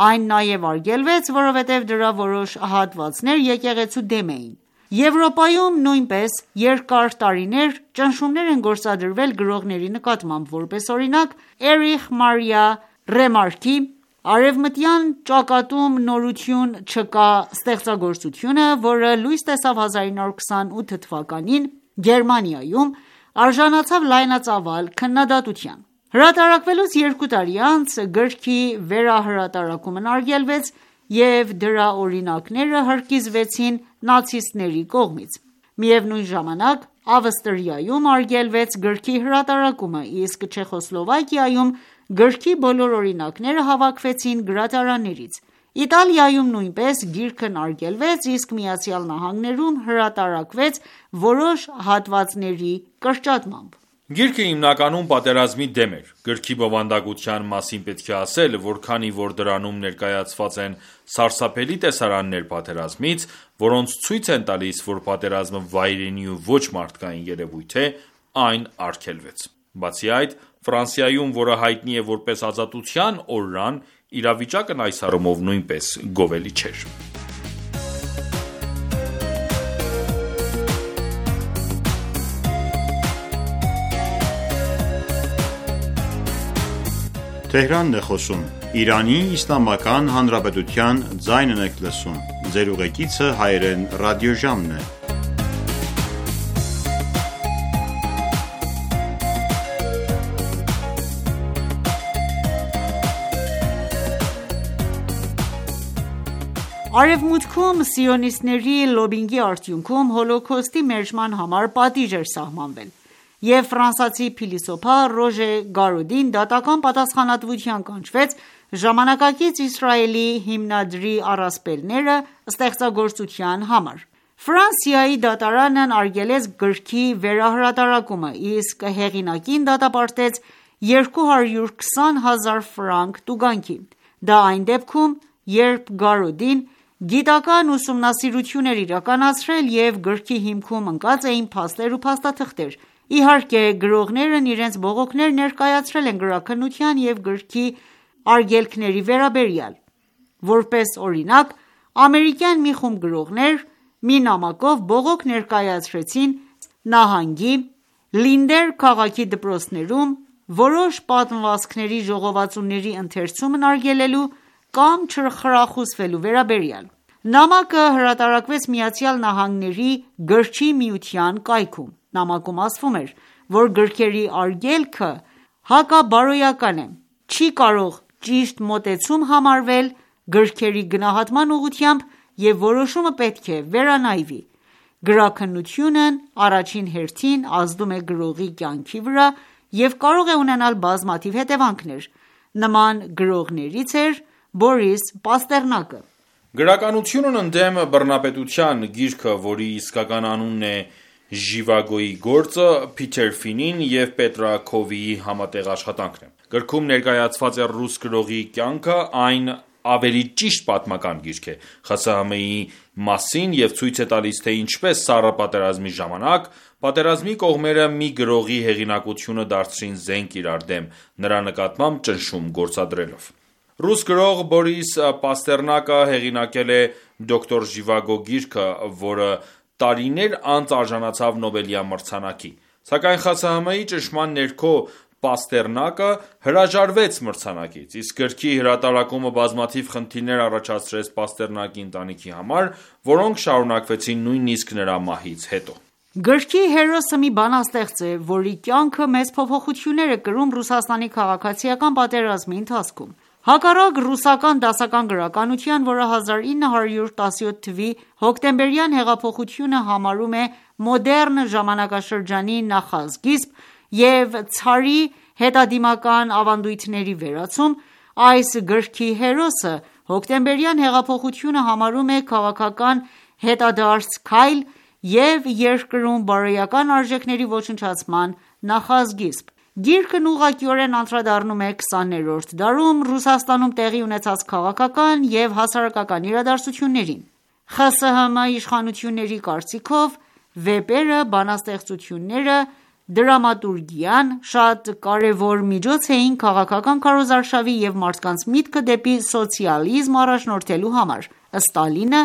Այն նաև արգելվեց, որովհետև դրա որոշ հատվածներ եկեղեցու դեմ էին։ Եվրոպայում նույնպես երկար տարիներ ճնշումներ են գործադրվել գրողների նկատմամբ, որպես օրինակ Էրիխ Մարիա Ռեմարկի «Արևմտյան ճակատում նորություն չկա» ստեղծագործությունը, որը լույս տեսավ 1928 թվականին Գերմանիայում, արժանացավ լայնածավալ քննադատության։ Հրատարակվելուց 2 տարի անց գրքի վերահրատարակումն արգելվեց և դրա օրինակները հրկիզվեցին նացիստների կողմից։ Միևնույն ժամանակ Ավստրիայում արգելվեց գրքի հրատարակումը, իսկ Չեխոսլովակիայում գրքի բոլոր օրինակները հավաքվեցին գրադարաններից։ Իտալիայում նույնպես գիրքն արգելվեց, իսկ ԱՄՆ-ում հրատարակվեց որոշ հատվածների կրճատմամբ։ Գիրքը հիմնականում պատերազմի դեմ էր։ Գրքի բովանդակության մասին պետք է ասել, որ քանի որ դրանում ներկայացված են սարսափելի տեսարաններ պատերազմից, որոնց ցույց են տալիս, որ պատերազմը վայրենի ու ոչ մարդկային երևույթ է, այն արգելվեց։ Բացի այդ, Ֆրանսիայում, որը հայտնի է որպես ազատության օրրան, իրավիճակն այս առումով նույնպես գովելի չէր։ Արևմուտքում սիոնիստների լոբբինգի արդյունքում Հոլոքոստի մերժման համար պատիժ էր սահմանվել, և ֆրանսիացի փիլիսոփա Ռոժե Գարոդին դատական պատասխանատվության կանչվեց ժամանակակից Իսրայելի հիմնադրի առասպելները ստեղծագործության համար։ Ֆրանսիայի դատարանն արգելեց գրքի վերահրատարակումը, իսկ հեղինակին դատապարտեց 220,000 ֆրանկ տուգանքի։ Դա այն դեպքում, երբ Գարոդին գիտական ուսումնասիրություն էր իրականացրել և գրքի հիմքում ընկած էին փաստեր ու փաստաթղթեր։ Իհարկե, գրողներն իրենց բողոքներ ներկայացրել են գրաքննության և գրքի արգելքների վերաբերյալ։ Որպես օրինակ, ամերիկյան մի խումբ գրողներ մի նամակով բողոք ներկայացրեցին նահանգի Լինդեր քաղաքի դպրոցներում որոշ պատմվածքների ժողովածուների ընթերցումն արգելելու կամ չխրախուսվելու վերաբերյալ։ Նամակը հրատարակվեց ԱՄՆ-ի գրչի միության կայքում։ Նամակում ասվում էր, որ գրքերի արգելքը հակաբարոյական է, չի կարող ճիշտ մոտեցում համարվել գրքերի գնահատման ուղղությամբ և որոշումը պետք է վերանայվի։ Գրաքննությունն առաջին հերթին ազդում է գրողի կյանքի վրա և կարող է ունենալ բազմաթիվ հետևանքներ։ Նման գրողներից էր Բորիս Պաստեռնակը։ Գրականությունն ընդդեմ բռնապետության գիրքը, որի իսկական անունն է «Ժիվագոյի գործը», Փիթեր Ֆինին և Պետրա Քովիի համատեղ աշխատանքն է։ Գրքում ներկայացված է ռուս գրողի կյանքը, այն ավելի ճիշտ պատմական գիրք է ԽՍՀՄ-ի մասին և ցույց է տալիս, թե ինչպես Սառը պատերազմի ժամանակ պատերազմի կողմերը մի գրողի հեղինակությունը դարձրին զենք իրար դեմ, նրա նկատմամբ ճնշում գործադրելով։ Ռուս գրող Բորիս Պաստեռնակը հեղինակել է «Դոկտոր Ժիվագո» գիրքը, որը տարիներ անց արժանացավ Նոբելյան մրցանակի։ Սակայն ԽՍՀՄ-ի ճնշման ներքո Պաստեռնակը հրաժարվեց մրցանակից, իսկ գրքի հրատարակումը բազմաթիվ խնդիրներ առաջացրեց Պաստեռնակի ընտանիքի համար, որոնք շարունակվեցին նույնիսկ նրա մահից հետո։ Գրքի հերոսը մի բանաստեղծ է, որի կյանքը մեծ փոփոխություններ է կրում Ռուսաստանի քաղաքացիական պատերազմի ընթացքում։ Հակառակ ռուսական դասական գրականության, որը 1917 թվականի հոկտեմբերյան հեղափոխությունը համարում է մոդեռն ժամանակաշրջանի նախասկիզբ և ցարի հետադիմական ավանդույթների վերացում, այս գրքի հերոսը հոկտեմբերյան հեղափոխությունը համարում է քաղաքական հետադարձ քայլ և երկրում բարոյական արժեքների ոչնչացման նախասկիզբ։ Գիրքն ուղղակիորեն անդրադառնում է 20-րդ դարում Ռուսաստանում տեղի ունեցած քաղաքական և հասարակական իրադարձություններին։ ԽՍՀՄ իշխանությունների կարծիքով, վեպերը, բանաստեղծությունները, դրամատուրգիան շատ կարևոր միջոց էին քաղաքական քարոզարշավի և մարդկանց միտքը դեպի սոցիալիզմ առաջնորդելու համար։ Ստալինը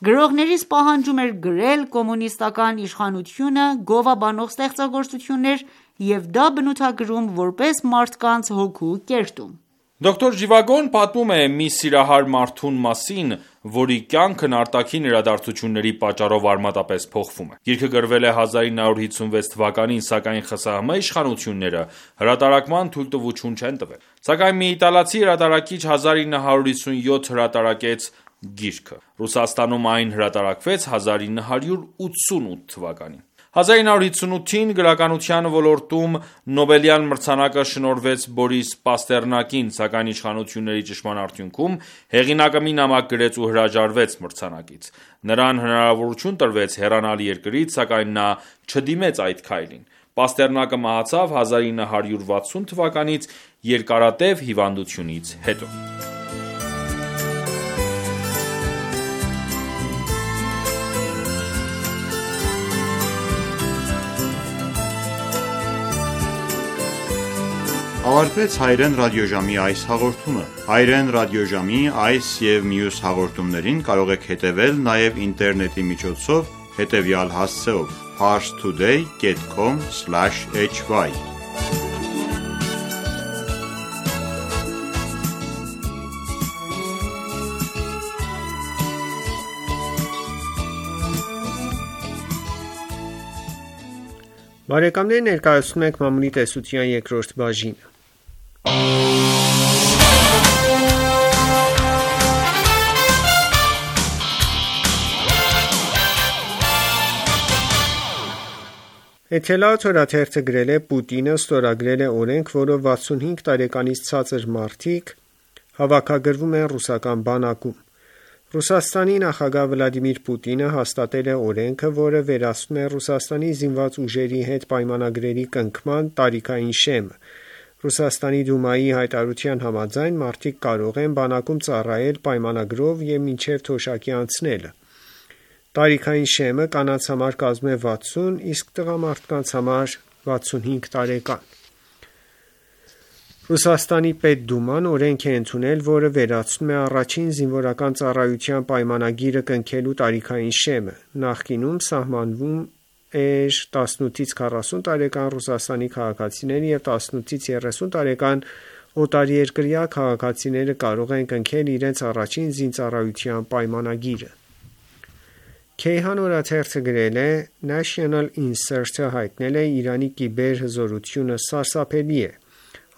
գրողներից պահանջում էր գրել կոմունիստական իշխանությունը գովաբանող ստեղծագործություններ և դա բնութագրում որպես մարդկանց հոգու կերտում։ Դոկտոր Ժիվագոն պատմում է մի սիրահար մարդու մասին, որի կյանքն արտաքին իրադարձությունների պատճառով արմատապես փոխվում է։ Գիրքը գրվել է 1956 թվականին, սակայն ԽՍՀՄ իշխանությունները հրատարակման թույլտվություն չեն տվել։ Սակայն մի իտալացի հրատարակիչ 1957 հրատարակեց գիրքը։ Ռուսաստանում այն հրատարակվեց 1988 թվականին։ 1958-ին գրականության ոլորտում Նոբելյան մրցանակը շնորհվեց Բորիս Պաստեռնակին, սակայն իշխանությունների ճնշման արդյունքում հեղինակը մի նամակ գրեց ու հրաժարվեց մրցանակից։ Նրան հնարավորություն տրվեց հեռանալ երկրից, սակայն նա չդիմեց այդ քայլին։ Պաստեռնակը մահացավ 1960 թվականից երկարատև հիվանդությունից հետո։ Ավարտվեց Հայերեն ռադիոժամի այս հաղորդումը։ Հայերեն ռադիոժամի այս և մյուս հաղորդումներին կարող եք հետևել նաև ինտերնետի միջոցով հետևյալ հասցեով՝ parstoday.com/hy Բարեկամներ, ներկայացնում ենք մամուլի տեսության երկրորդ բաժինը։ Էթելա թերթը գրել է Պուտինը ստորագրել է օրենք, որով 65 տարեկանից ցածր մարդիկ հավաքագրվում են ռուսական բանակում։ Ռուսաստանի նախագահ Վլադիմիր Պուտինը հաստատել է օրենքը, որը վերացնում է Ռուսաստանի զինված ուժերի հետ պայմանագրերի կնքման տարիքային շեմը։ Ռուսաստանի Դումայի հայտարարության համաձայն մարդիկ կարող են բանակում ծառայել պայմանագրով և մինչև թոշակի անցնելը։ Տարիքային շեմը կանանց համար կազմում է 60, իսկ տղամարդկանց համար 65 տարեկան։ Ռուսաստանի Պետդուման օրենք է ընդունել, որը վերացնում է առաջին զինվորական ծառայության պայմանագիրը կնքելու տարիքային շեմը։ Նախկինում սահմանվում էր 18-ից 40 տարեկան Ռուսաստանի քաղաքացիները եւ 18-ից 30 տարեկան օտարերկրյա քաղաքացիները կարող են կնքել իրենց առաջին զինծառայության պայմանագիրը։ Քեյհան օրաթերթը գրել է. National Insert-ը հայտնել է Իրանի կիբերհզորությունը սարսափելի է։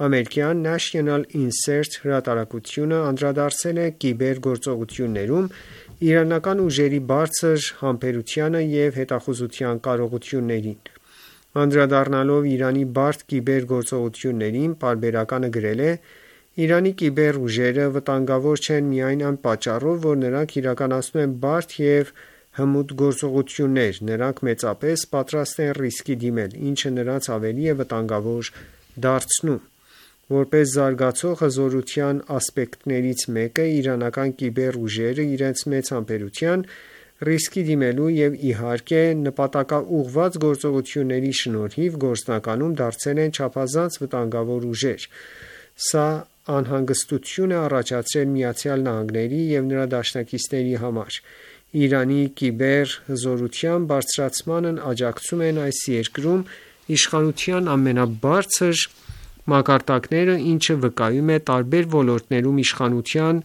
Ամերիկյան National Insert հրատարակությունը անդրադարձել է կիբերգործողություններում իրանական ուժերի բարձր համբերությանը եւ հետախուզության կարողություններին։ Անդրադառնալով Իրանի բարդ կիբերգործողություններին, պարբերականը գրել է. Իրանի կիբերուժերը վտանգավոր չեն միայն այն պատճառով, որ նրանք իրականացնում են բարդ եւ հմուտ գործողություններ, նրանք մեծապես պատրաստ են ռիսկի դիմել, ինչը նրանց ավելի է վտանգավոր դարձնում։ Որպես զարգացող հզորության ասպեկտներից մեկը, իրանական կիբերուժերը իրենց մեծ համբերության, ռիսկի դիմելու եւ իհարկե նպատակաուղղված գործողությունների շնորհիվ գործնականում դարձել են չափազանց վտանգավոր ուժեր։ Սա անհանգստություն է առաջացրել ԱՄՆ-ի եւ նրա դաշնակիցների համար։ Իրանի կիբերհզորության բարձրացմանն աջակցում են այս երկրում իշխանության ամենաբարձր մակարդակները, ինչը վկայում է տարբեր ոլորտներում իշխանության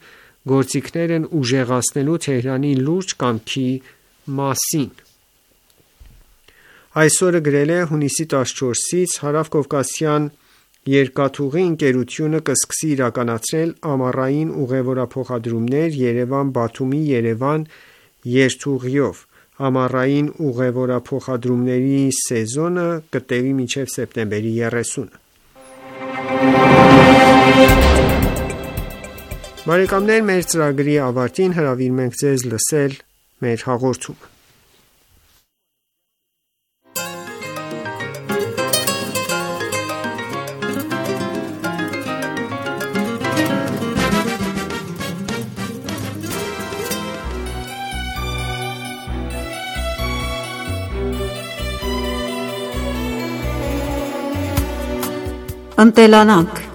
գործիքներն ուժեղացնելու Թեհրանի լուրջ կամքի մասին։ Այսօրը գրել է հունիսի 14-ից Հարավկովկասյան երկաթուղի ընկերությունը կսկսի իրականացնել ամառային ուղևորափոխադրումներ Երևան-Բաթումի Երևան երթուղիով։ Ամառային ուղևորափոխադրումների սեզոնը կտևի մինչև սեպտեմբերի 30-ը։ Բարեկամներ, մեր ծրագրի ավարտին հրավիրում ենք ձեզ լսել մեր հաղորդումը։ Ընտելանանք։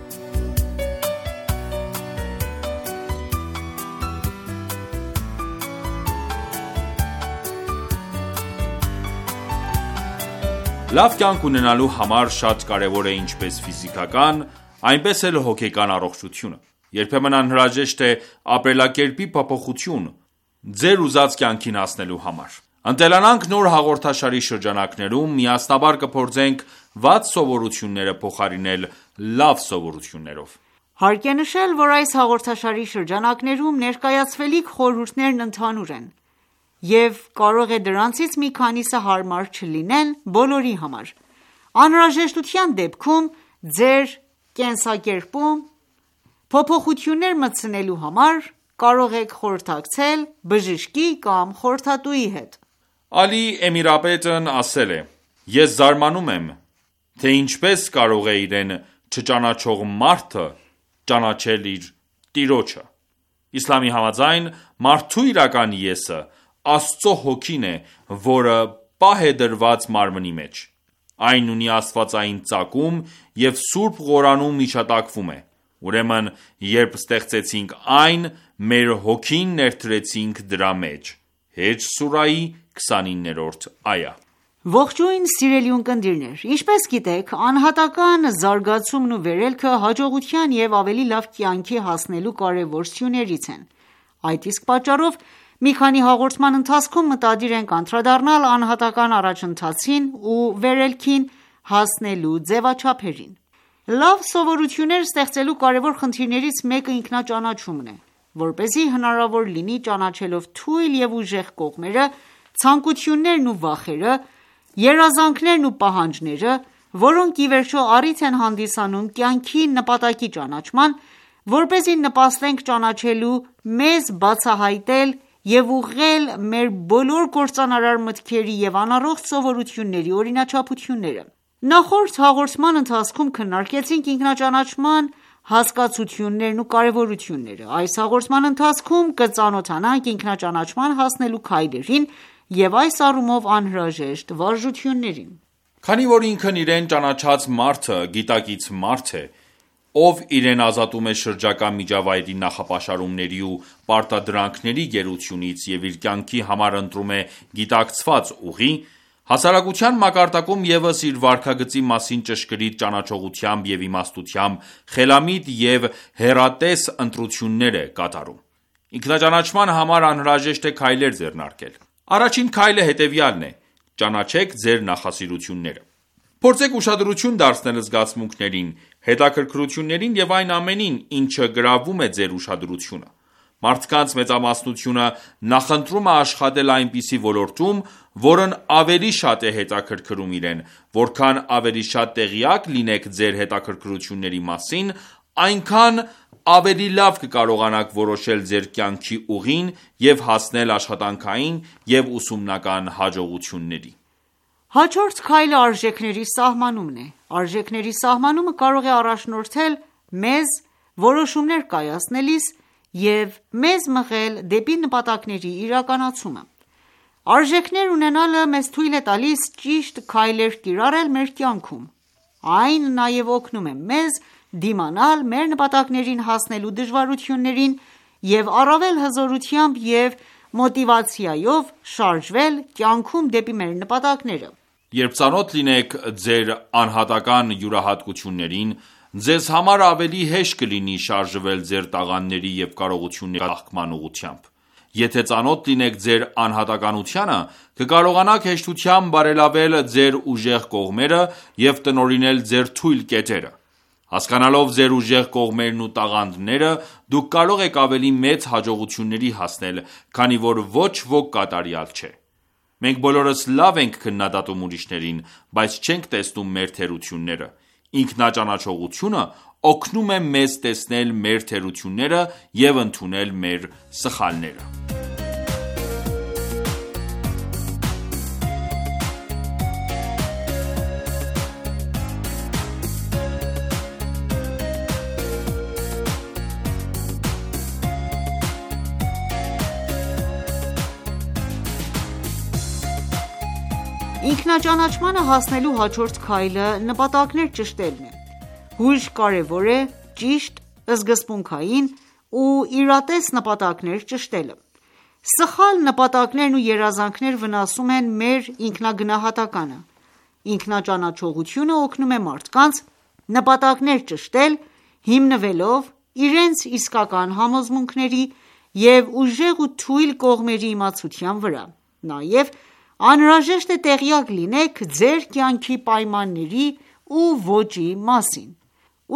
Լավ կյանք ունենալու համար շատ կարևոր է ինչպես ֆիզիկական, այնպես էլ հոգեկան առողջությունը։ Երբեմն անհրաժեշտ է ապրելակերպի փոփոխություն ձեր ուզած կյանքին հասնելու համար։ Ընտելանանք նոր հաղորդաշարի շրջանակներում միասնաբար կփորձենք վատ սովորությունները փոխարինել լավ սովորություններով։ Հարկ է նշել, որ այս հաղորդաշարի շրջանակներում ներկայացվելիք խորհուրդներն ընդհանուր են, և կարող է դրանցից մի քանիսը հարմար չլինեն բոլորի համար։ Անհրաժեշտության դեպքում ձեր կենսակերպում փոփոխություններ մտցնելու համար կարող եք խորհրդակցել բժշկի կամ խորհրդատուի հետ։ Ալի Էմիրապետն ասել է. Ես զարմանում եմ, թե ինչպես կարող է իրեն չճանաչող մարդը ճանաչել իր տիրոջը։ Իսլամի համաձայն, մարդու իրական եսը Աստծո հոգին է, որը պահ է դրված մարմնի մեջ։ Այն ունի աստվածային ծագում և Սուրբ Ղուրանում հիշատակվում է։ Ուրեմն, երբ ստեղծեցինք այն, մեր հոգին ներդրեցինք դրա մեջ։ Հեջ սուրայի 29-րդ այա։ Ողջույն սիրելի ունկնդիրներ, ինչպես գիտեք, անհատական զարգացումն ու վերելքը հաջողության և ավելի լավ կյանքի հասնելու կարևոր սյուներից են։ Այդ իսկ պատճառով մի քանի հաղորդման ընթացքում մտադիր ենք անդրադառնալ անհատական առաջընթացին ու վերելքին հասնելու ձևաչափերին։ Լավ սովորություններ ստեղծելու կարևոր խնդիրներից մեկը ինքնաճանաչումն է, որպեսզի հնարավոր լինի ճանաչելով թույլ և ուժեղ կողմերը, ցանկություններն ու վախերը, երազանքներն ու պահանջները, որոնք ի վերջո առիթ են հանդիսանում կյանքի նպատակի ճանաչման, որպեսզի նպաստենք ճանաչելու, մեզ բացահայտել և ուղղել մեր բոլոր կործանարար մտքերի և անառողջ սովորությունների օրինաչափությունները։ Նախորդ հաղորդման ընթացքում քննարկեցինք ինքնաճանաչման հասկացություններն ու կարևորությունները։ Այս հաղորդման ընթացքում կծանոթանանք ինքնաճանաչման հասնելու քայլերին և այս առումով անհրաժեշտ վարժություններին։ Քանի որ ինքն իրեն ճանաչած մարդը գիտակից մարդ է, ով իրեն ազատում է շրջակա միջավայրի նախապաշարումների ու պարտադրանքների գերությունից և իր կյանքի համար ընտրում է գիտակցված ուղի, Հասարակության մակարդակում ևս իր վարքագծի մասին ճշգրիտ ճանաչողությամբ և իմաստությամբ խելամիտ և հեռատես ընտրություններ է կատարում: Ինքնաճանաչման համար անհրաժեշտ է քայլեր ձեռնարկել: Առաջին քայլը հետևյալն է՝ ճանաչեք ձեր նախասիրությունները: Փորձեք ուշադրություն դարձնել զգացմունքներին, հետաքրքրություններին և այն ամենին, ինչը գրավում է ձեր ուշադրությունը: Մարդկանց մեծամասնությունը նախընտրում է աշխատել այնպիսի ոլորտում, որն ավելի շատ է հետաքրքրում իրեն: Որքան ավելի շատ տեղյակ լինեք ձեր հետաքրքրությունների մասին, այնքան ավելի լավ կկարողանաք որոշել ձեր կյանքի ուղին և հասնել աշխատանքային և ուսումնական հաջողությունների: Հաջորդ քայլը արժեքների սահմանումն է: Արժեքների սահմանումը կարող է առաջնորդել մեզ որոշումներ կայացնելիս և մեզ մղել դեպի նպատակների իրականացումը: Արժեքներ ունենալը մեզ թույլ է տալիս ճիշտ քայլեր կիրառել մեր կյանքում: Այն նաև օգնում է մեզ դիմանալ մեր նպատակներին հասնելու դժվարություններին և առավել հզորությամբ և մոտիվացիայով շարժվել կյանքում դեպի մեր նպատակները: Երբ ծանոթ լինեք ձեր անհատական յուրահատկություններին, ձեզ համար ավելի հեշտ կլինի շարժվել ձեր տաղանդների և կարողությունների ծաղկման ուղղությամբ: Եթե ծանոթ լինեք ձեր անհատականությանը, կկարողանաք հեշտությամբ բարելավել ձեր ուժեղ կողմերը և տնօրինել ձեր թույլ կետերը: Հասկանալով ձեր ուժեղ կողմերն ու տաղանդները, դուք կարող եք ավելի մեծ հաջողությունների հասնել, քանի որ ոչ ոք կատարյալ չէ: Մենք բոլորս լավ ենք քննադատում ուրիշներին, բայց չենք տեսնում մեր թերությունները: Ինքնաճանաչողությունը օգնում է մեզ տեսնել մեր թերությունները և ընդունել մեր սխալները: Ինքնաճանաչմանը հասնելու հաջորդ քայլը նպատակներ ճշտելն է: Հույժ կարևոր է ճիշտ, սկզբունքային ու իրատես նպատակներ ճշտելը: Սխալ նպատակներն ու երազանքներ վնասում են մեր ինքնագնահատականը: Ինքնաճանաչողությունը օգնում է մարդկանց նպատակներ ճշտել հիմնվելով իրենց իսկական համոզմունքների և ուժեղ ու թույլ կողմերի իմացության վրա: Նաև անհրաժեշտ է տեղյակ լինեք ձեր կյանքի պայմանների ու ոճի մասին: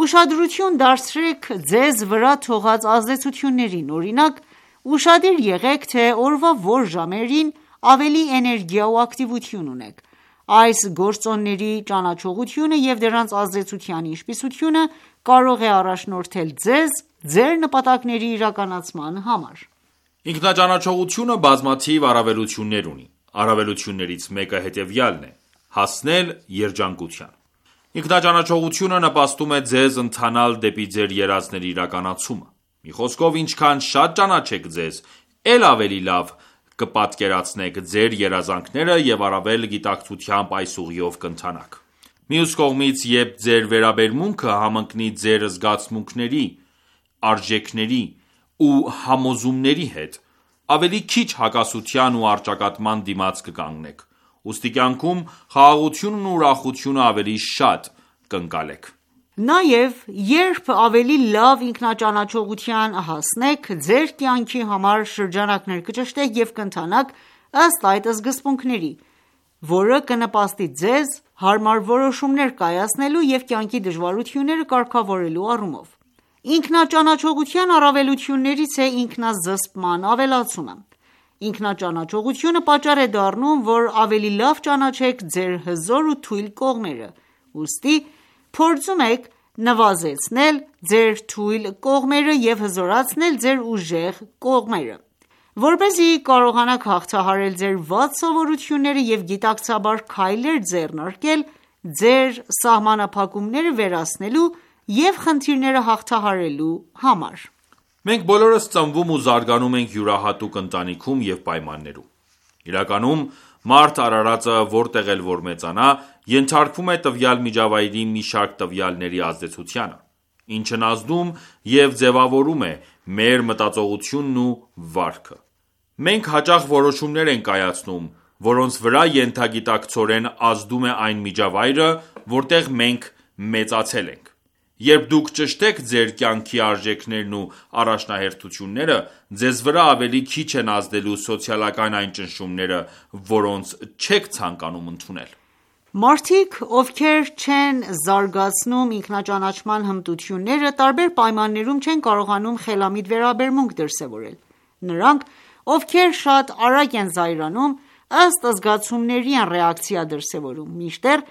Ուշադրություն դարձրեք ձեզ վրա թողած ազդեցություններին: Օրինակ, ուշադիր եղեք, թե օրվա որ ժամերին ավելի էներգիա ու ակտիվություն ունեք: Այս գործոնների ճանաչողությունը և դրանց ազդեցության ինչպիսությունը կարող է առաջնորդել ձեզ ձեր նպատակների իրականացման համար: Ինքնաճանաչողությունը բազմաթիվ առավելություններ ունի: Առավելություններից մեկը հետևյալն է՝ հասնել երջանկության: Ինքնաճանաչողությունը նպաստում է ձեզ ընթանալ դեպի ձեր երազների իրականացումը: Մի խոսքով, ինչքան շատ ճանաչեք ձեզ, էլ ավելի լավ կպատկերացնեք ձեր երազանքները և առավել գիտակցությամբ այս ուղիով կընթանաք: Մյուս կողմից, երբ ձեր վերաբերմունքը համընկնի ձեր զգացմունքների, արժեքների ու համոզումների հետ, ավելի քիչ հակասության ու առճակատման դիմաց կկանգնեք: Ուստի կյանքում խաղաղությունն ու ուրախությունը ավելի շատ կընկալեք: Նաև երբ ավելի լավ ինքնաճանաչողության հասնեք, ձեր կյանքի համար շրջանակներ կճշտեք և կընթանաք ըստ այդ սկզբունքների, որը կնպաստի ձեզ հարմար որոշումներ կայացնելու և կյանքի դժվարությունները կարգավորելու առումով: Ինքնաճանաչողության առավելություններից է ինքնազսպման ավելացումը: Ինքնաճանաչողությունը պատճառ է դառնում, որ ավելի լավ ճանաչեք ձեր հզոր ու թույլ կողմերը: Ուստի փորձում եք նվազեցնել ձեր թույլ կողմերը և հզորացնել ձեր ուժեղ կողմերը: Որպեսզի կարողանաք հաղթահարել ձեր վատ սովորությունները և գիտակցաբար քայլեր ձեռնարկել ձեր սահմանափակումները վերացնելու և խնդիրները հաղթահարելու համար: Մենք բոլորս ծնվում ու զարգանում ենք յուրահատուկ ընտանիքում և պայմաններում: Իրականում, մարդ արարածը որտեղ էլ որ մեծանա, ենթարկվում է տվյալ միջավայրի մի շարք տվյալների ազդեցությանը, ինչն ազդում և ձևավորում է մեր մտածողությունն ու վարքը: Մենք հաճախ որոշումներ ենք կայացնում որոնց վրա ենթագիտակցորեն ազդում է այն միջավայրը, որտեղ մենք մեծացել ենք: Երբ դուք ճշտեք ձեր կյանքի արժեքներն ու առաջնահերթությունները, ձեզ վրա ավելի քիչ են ազդելու սոցիալական այն ճնշումները, որոնց չեք ցանկանում ընդունել: Մարդիկ, ովքեր չեն զարգացնում ինքնաճանաչման հմտությունները, տարբեր պայմաններում չեն կարողանում խելամիտ վերաբերմունք դրսևորել: Նրանք, ովքեր շատ արագ են զայրանում, ըստ զգացումների են ռեակցիա դրսևորում, մինչդեռ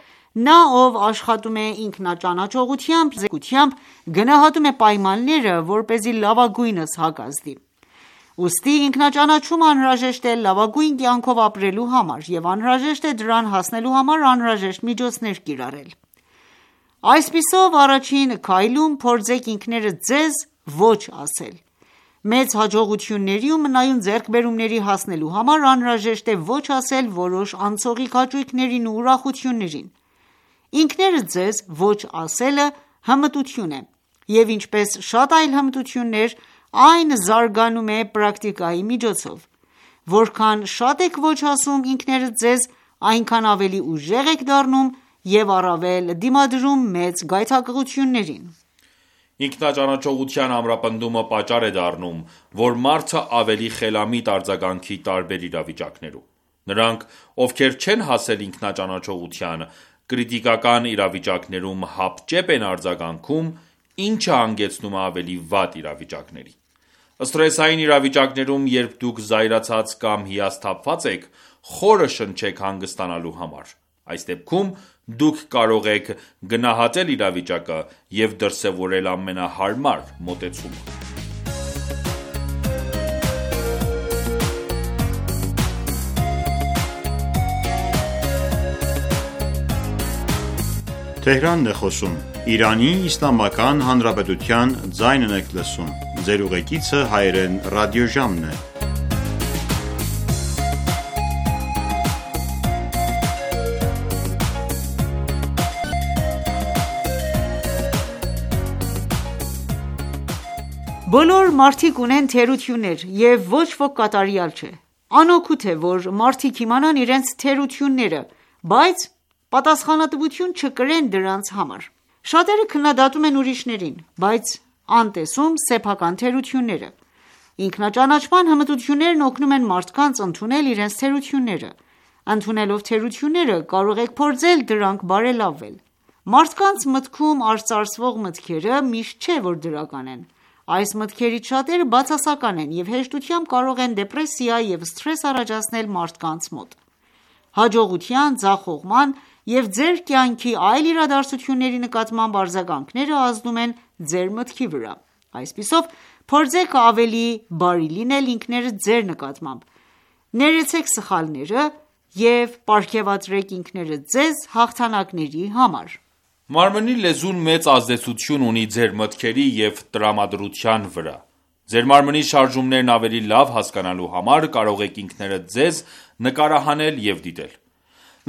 նա, ով աշխատում է ինքնաճանաչողությամբ, գնահատում է պայմանները, որպեսզի լավագույնս հակազդի: Ուստի ինքնաճանաչումը անհրաժեշտ է լավագույն կյանքով ապրելու համար և անհրաժեշտ է դրան հասնելու համար անհրաժեշտ միջոցներ կիրառել: Այսպիսով, առաջին քայլում փորձեք ինքներդ ձեզ ոչ ասել: Մեծ հաջողությունների ու մնայուն ձեռքբերումների հասնելու համար անհրաժեշտ է ոչ ասել որոշ անցողիկ հաճույքներին ու ուրախություններին: Ինքներդ ձեզ ոչ ասելը հմտություն է, և ինչպես շատ այլ հմտություններ, այն զարգանում է պրակտիկայի միջոցով: Որքան շատ եք ոչ ասում ինքներդ ձեզ, այնքան ավելի ուժեղ եք դառնում և առավել դիմադրում մեծ գայթակղություններին: Ինքնաճանաչողության ամրապնդումը պատճառ է դառնում, որ մարդը ավելի խելամիտ արձագանքի տարբեր իրավիճակներում: Նրանք, ովքեր չեն հասել ինքնաճանաչողության, կրիտիկական իրավիճակներում հապճեպ են արձագանքում, ինչը հանգեցնում է ավելի վատ իրավիճակների: Սթրեսային իրավիճակներում, երբ դուք զայրացած կամ հիասթափված եք, խորը շնչեք հանգստանալու համար: Այս դեպքում դուք կարող եք գնահատել իրավիճակը և դրսևորել ամենահարմար մոտեցումը: Բոլոր մարդիկ ունեն թերություններ և ոչ ոք կատարյալ չէ: Անօգուտ է, որ մարդիկ իմանան իրենց թերությունները, բայց պատասխանատվություն չկրեն դրանց համար: Շատերը քննադատում են ուրիշներին, բայց անտեսում սեփական թերությունները: Ինքնաճանաչման հմտություններն օգնում են մարդկանց ընդունել իրենց թերությունները: Ընդունելով թերությունները, կարող եք փորձել դրանք բարելավել: Մարդկանց մտքում արծարծվող մտքերը միշտ չէ, որ դրական են: Այս մտքերից շատերը բացասական են և հեշտությամբ կարող են դեպրեսիա և սթրես առաջացնել մարդկանց մոտ: Հաջողության, ձախողման և ձեր կյանքի այլ իրադարձությունների նկատմամբ արձագանքները ազդում են ձեր մտքի վրա: Այսպիսով, փորձեք ավելի բարի լինել ինքներդ ձեր նկատմամբ: Ներեցեք սխալները և պարգևատրեք ինքներդ ձեզ հաղթանակների համար: Մարմնի լեզուն մեծ ազդեցություն ունի ձեր մտքերի և տրամադրության վրա: Ձեր մարմնի շարժումներն ավելի լավ հասկանալու համար կարող եք ինքներդ ձեզ նկարահանել և դիտել: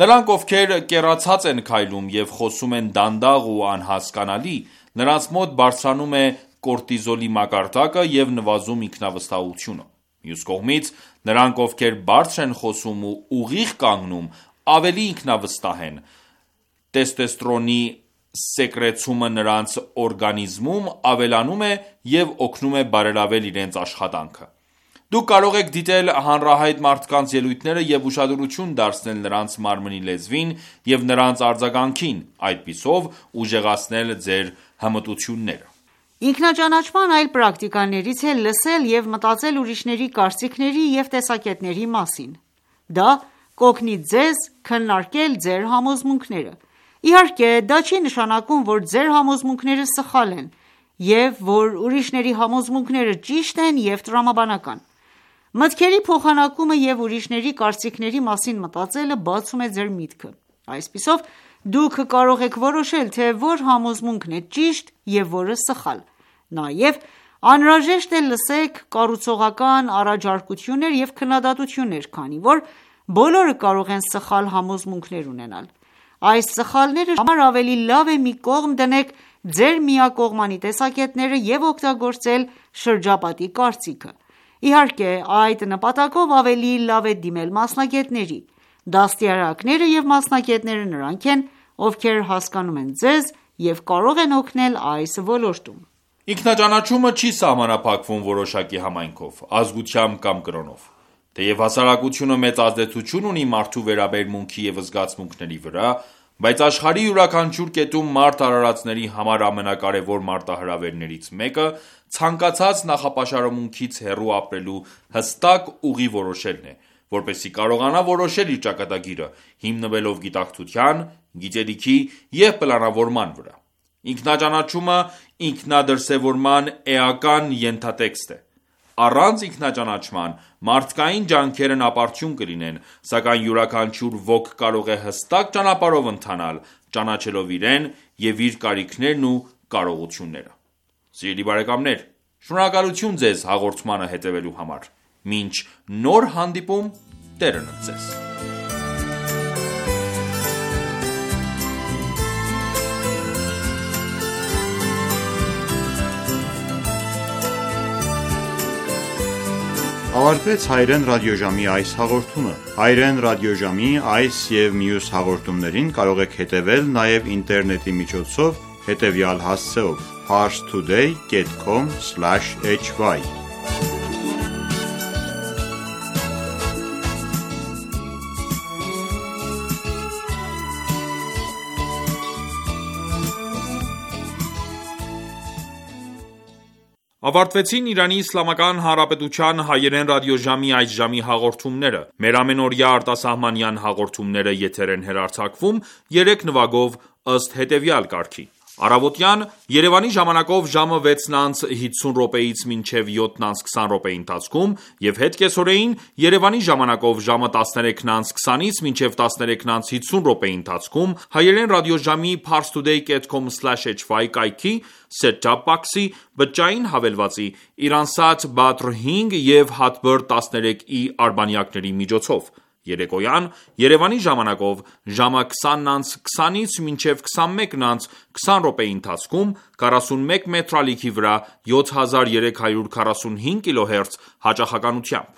Նրանք, ովքեր կեռացած են քայլում և խոսում են դանդաղ ու անհասկանալի, նրանց մոտ բարձրանում է կորտիզոլի մակարդակը և նվազում ինքնավստահությունը: Մյուս կողմից, նրանք, ովքեր բարձր են խոսում ու ուղիղ կանգնում, ավելի ինքնավստահ են: Տեստեստերոնի սեկրեցումը նրանց օրգանիզմում ավելանում է և օգնում է բարելավել իրենց աշխատանքը: Դուք կարող եք դիտել հանրահայտ մարդկանց ելույթները և ուշադրություն դարձնել նրանց մարմնի լեզվին և նրանց արձագանքին, այդպիսով ուժեղացնել ձեր հմտությունները: Ինքնաճանաչման այլ պրակտիկաներից է լսել և մտածել ուրիշների կարծիքների և տեսակետների մասին: Դա կօգնի ձեզ քննարկել ձեր համոզմունքները: Իհարկե, դա չի նշանակում, որ ձեր համոզմունքները սխալ են և որ ուրիշների համոզմունքները ճիշտ են և տրամաբանական: Մտքերի փոխանակումը և ուրիշների կարծիքների մասին մտածելը բացում է ձեր միտքը: Այսպիսով, դուք կարող եք որոշել, թե որ համոզմունքն է ճիշտ և որը սխալ: Նաև անհրաժեշտ է լսեք կառուցողական առաջարկություններ և քննադատություններ, քանի որ բոլորը կարող են սխալ համոզմունքներ ունենալ: Այս սխալները շրջապատելու համար ավելի լավ է մի կողմ դնեք ձեր միակողմանի տեսակետները և օգտագործել շրջապատի կարծիքը: Իհարկե, այդ նպատակով ավելի լավ է դիմել մասնագետների: Դաստիարակները և մասնագետները նրանք են, ովքեր հասկանում են ձեզ և կարող են օգնել այս ոլորտում: Ինքնաճանաչումը չի սահմանափակվում որոշակի համայնքով, ազգությամբ կամ կրոնով: Թեև հասարակությունը մեծ ազդեցություն ունի մարդու վերաբերմունքի և զգացմունքների վրա, բայց աշխարհի յուրաքանչյուր կետում մարդ արարածների համար ամենակարևոր մարտահրավերներից մեկը ցանկացած նախապաշարմունքից հեռու ապրելու հստակ ուղի որոշելն է, որպեսզի կարողանա որոշել իր ճակատագիրը՝ հիմնվելով գիտակցության, գիտելիքի և պլանավորման վրա: Ինքնաճանաչումը ինքնադրսևորման էական ենթատեքստ է: Առանց ինքնաճանաչման մարդկային ջանքերն ապարդյուն կլինեն, սակայն յուրաքանչյուր ոք կարող է հստակ ճանապարհով ընթանալ՝ ճանաչելով իրեն և իր կարիքներն ու կարողությունները: Սիրելի բարեկամներ, շնորհակալություն ձեզ հաղորդմանը հետևելու համար: Մինչ նոր հանդիպում, Տերն ընդ Ձեզ: Ավարտվեց հայրեն ռադիոժամի այս հաղորդումը: Հայրեն ռադիոժամի այս և մյուս հաղորդումներին կարող եք հետևել նաև ինտերնետի միջոցով հետևյալ հասցեով՝ parstoday.com/hy Ավարտվեցին Իրանի Իսլամական Հանրապետության հայերեն ռադիոժամի այս ժամի հաղորդումները: Մեր ամենօրյա արտասահմանյան հաղորդումները եթեր են հեռարձակվում 3 նվագով ըստ հետևյալ կարգի: Առավոտյան Երևանի ժամանակով ժամը 6:50-ից մինչև 7:20 ընթացքում և հետ կեսօրեին Երևանի ժամանակով ժամը 13:20-ից մինչև 13:50 ընթացքում հայերեն ռադիոժամի parstoday.com/hy կայքի set-top box-ի, բջջային հավելվածի, Iransat Badr 5 և Hotbird 13e արբանյակների միջոցով: Երեկոյան Երևանի ժամանակով ժամը 20:20-ից մինչև 21:20 ընթացքում 41 մետրալիքի վրա 7345 կՀz հաճախականությամբ: